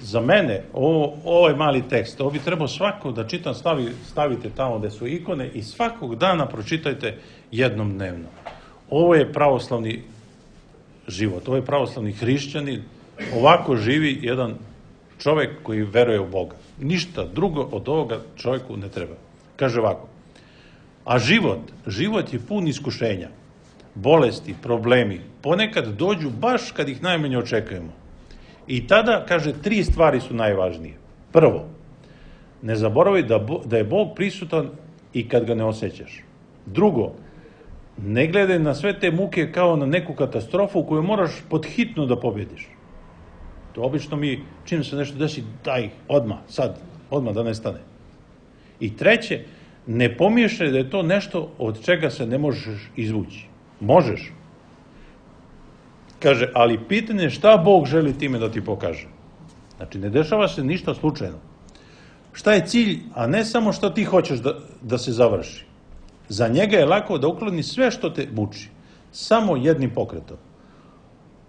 Speaker 3: Za mene, ovo, ovaj mali tekst, ovo bi trebao svako da čitam, stavi, stavite tamo gde su ikone i svakog dana pročitajte jednom dnevno. Ovo je pravoslavni život, ovo je pravoslavni hrišćanin, ovako živi jedan čovek koji veruje u Boga. Ništa drugo od ovoga čovjeku ne treba. Kaže ovako, a život, život je pun iskušenja, bolesti, problemi, ponekad dođu baš kad ih najmanje očekujemo. I tada, kaže, tri stvari su najvažnije. Prvo, ne zaboravi da, da je Bog prisutan i kad ga ne osjećaš. Drugo, ne gledaj na sve te muke kao na neku katastrofu koju moraš podhitno da pobjediš. To obično mi, čim se nešto desi, daj, odmah, sad, odmah da nestane. I treće, ne pomiješaj da je to nešto od čega se ne možeš izvući. Možeš. Kaže, ali pitanje je šta Bog želi time da ti pokaže. Znači, ne dešava se ništa slučajno. Šta je cilj, a ne samo što ti hoćeš da, da se završi. Za njega je lako da ukloni sve što te muči. Samo jednim pokretom.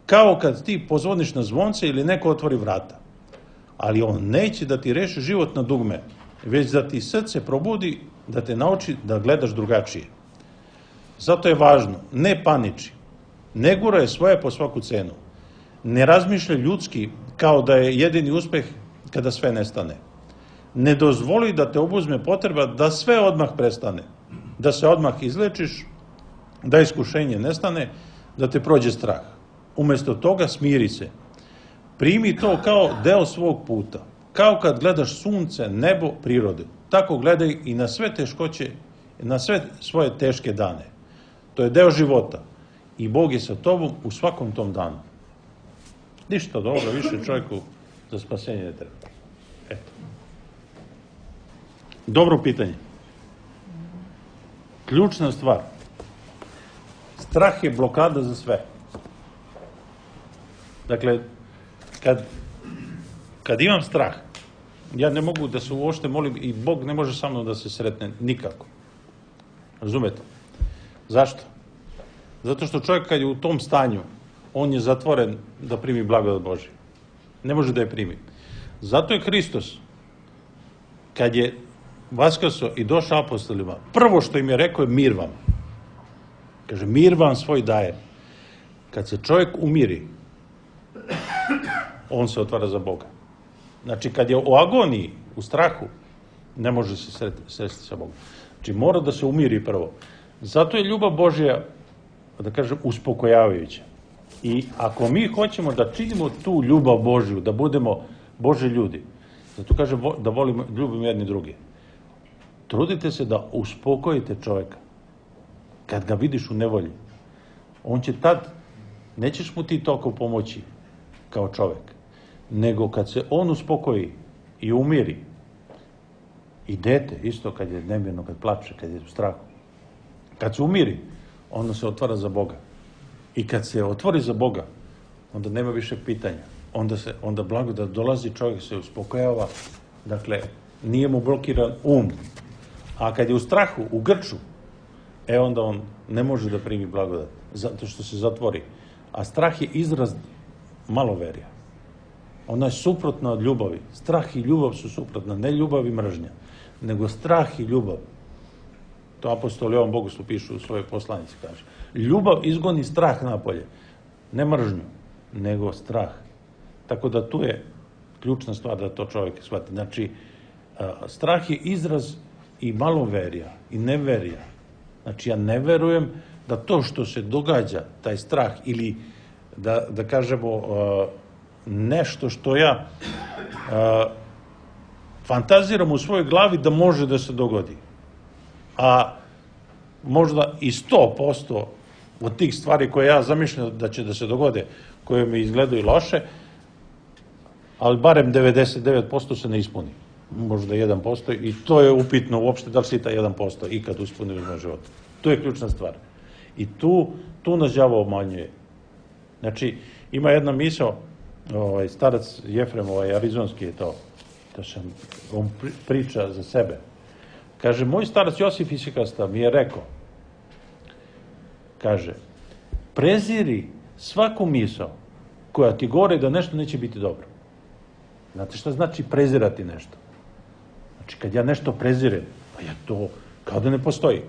Speaker 3: Kao kad ti pozvoniš na zvonce ili neko otvori vrata. Ali on neće da ti reši život na dugme, već da ti srce probudi, da te nauči da gledaš drugačije. Zato je važno, ne paniči, ne guraj svoje po svaku cenu, ne razmišljaj ljudski kao da je jedini uspeh kada sve nestane. Ne dozvoli da te obuzme potreba da sve odmah prestane, da se odmah izlečiš, da iskušenje nestane, da te prođe strah. Umesto toga smiri se. Primi to kao deo svog puta. Kao kad gledaš sunce, nebo, prirodu. Tako gledaj i na sve teškoće, na sve svoje teške dane. To je deo života. I Bog je sa tobom u svakom tom danu. Ništa od ovoga više čovjeku za spasenje ne treba. Eto. Dobro pitanje. Ključna stvar. Strah je blokada za sve. Dakle, kad, kad imam strah, ja ne mogu da se uopšte molim i Bog ne može sa mnom da se sretne nikako. Razumete? Zašto? Zato što čovjek kad je u tom stanju, on je zatvoren da primi blagodat Božju. Ne može da je primi. Zato je Hristos, kad je vaskrso i došao apostolima, prvo što im je rekao je mir vam. Kaže, mir vam svoj daje. Kad se čovjek umiri, on se otvara za Boga. Znači, kad je u agoniji, u strahu, ne može se sresti sa Bogom. Znači, mora da se umiri prvo. Zato je ljubav Božja, da kažem, uspokojavajuća. I ako mi hoćemo da činimo tu ljubav Božju, da budemo Božji ljudi, Zato kaže da volimo, ljubimo jedni drugi. Trudite se da uspokojite čoveka. Kad ga vidiš u nevolji, on će tad, nećeš mu ti toliko pomoći kao čovek, nego kad se on uspokoji i umiri, i dete, isto kad je nemirno, kad plače, kad je u strahu, kad se umiri, onda se otvara za Boga. I kad se otvori za Boga, onda nema više pitanja. Onda se, onda blagodat dolazi, čovjek se uspokojava, dakle, nije mu blokiran um. A kad je u strahu, u grču, e onda on ne može da primi blagodat, zato što se zatvori. A strah je izraz maloverja. Ona je suprotna od ljubavi. Strah i ljubav su suprotna, ne ljubav i mržnja, nego strah i ljubav. To apostol Jovan Bogoslov piše u svojoj poslanici, kaže. Ljubav izgoni strah napolje, ne mržnju, nego strah. Tako da tu je ključna stvar da to čovjek shvati. Znači, strah je izraz i maloverja i neverja. Znači, ja ne verujem da to što se događa, taj strah, ili da, da kažemo nešto što ja fantaziram u svojoj glavi da može da se dogodi. A možda i sto posto od tih stvari koje ja zamišljam da će da se dogode, koje mi izgledaju loše, ali barem devedeset devet posto se ne ispuni. Možda jedan posto i to je upitno uopšte da li si taj jedan posto ikad ispuni u moj životu. To je ključna stvar. I tu, tu nas đavo obmanjuje. Znači, ima jedna misao, ovaj, starac Jefrem, ovaj, arizonski je to, to sam, on priča za sebe. Kaže, moj starac Josif Isikasta mi je rekao, kaže, preziri svaku misao koja ti govori da nešto neće biti dobro. Znate šta znači prezirati nešto? Znači, kad ja nešto prezirem, pa ja to kao da ne postoji.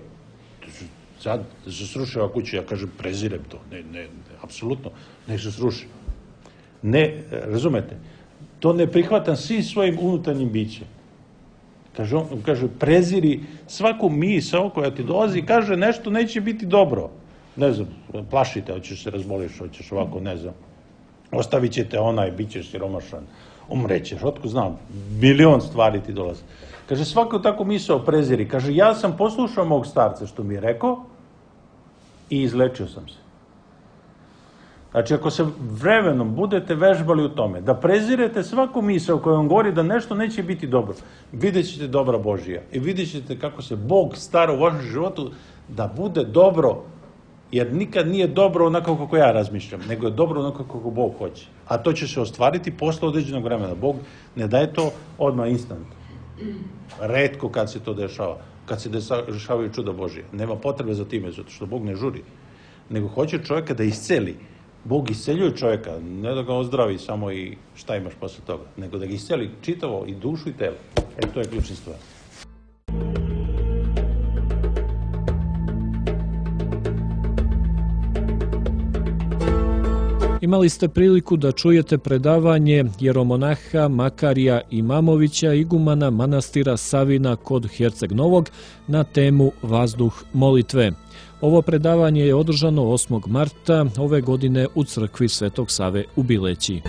Speaker 3: Sad se sruši ova kuća, ja kažem, prezirem to. Ne, ne, ne, apsolutno, nek se sruši. Ne, razumete, to ne prihvatam svim svojim unutarnjim bićem. Kaže, on, kaže, preziri svaku misao koja ti dolazi i kaže, nešto neće biti dobro. Ne znam, plašite, hoćeš se razboliš, hoćeš ovako, ne znam. Ostavit će te onaj, bit ćeš siromašan, umrećeš, otko znam, milion stvari ti dolazi. Kaže, svako tako misao preziri. Kaže, ja sam poslušao mog starca što mi je rekao i izlečio sam se. Znači, ako se vremenom budete vežbali u tome, da prezirete svaku misao koja vam govori da nešto neće biti dobro, vidjet ćete dobra Božija i vidjet ćete kako se Bog stara u vašem životu da bude dobro, jer nikad nije dobro onako kako ja razmišljam, nego je dobro onako kako Bog hoće. A to će se ostvariti posle određenog vremena. Bog ne daje to odmah instant. Retko kad se to dešava, kad se dešavaju čuda Božija. Nema potrebe za time, zato što Bog ne žuri, nego hoće čovjeka da isceli. Bog isceljuje čovjeka, ne da ga ozdravi samo i šta imaš posle toga, nego da ga isceli čitavo i dušu i telo. E, to je ključna stvar.
Speaker 2: Imali ste priliku da čujete predavanje jeromonaha Makarija Imamovića, igumana manastira Savina kod Herceg Novog, na temu Vazduh molitve. Ovo predavanje je održano osmog marta ove godine u crkvi Svetog Save u Bileći.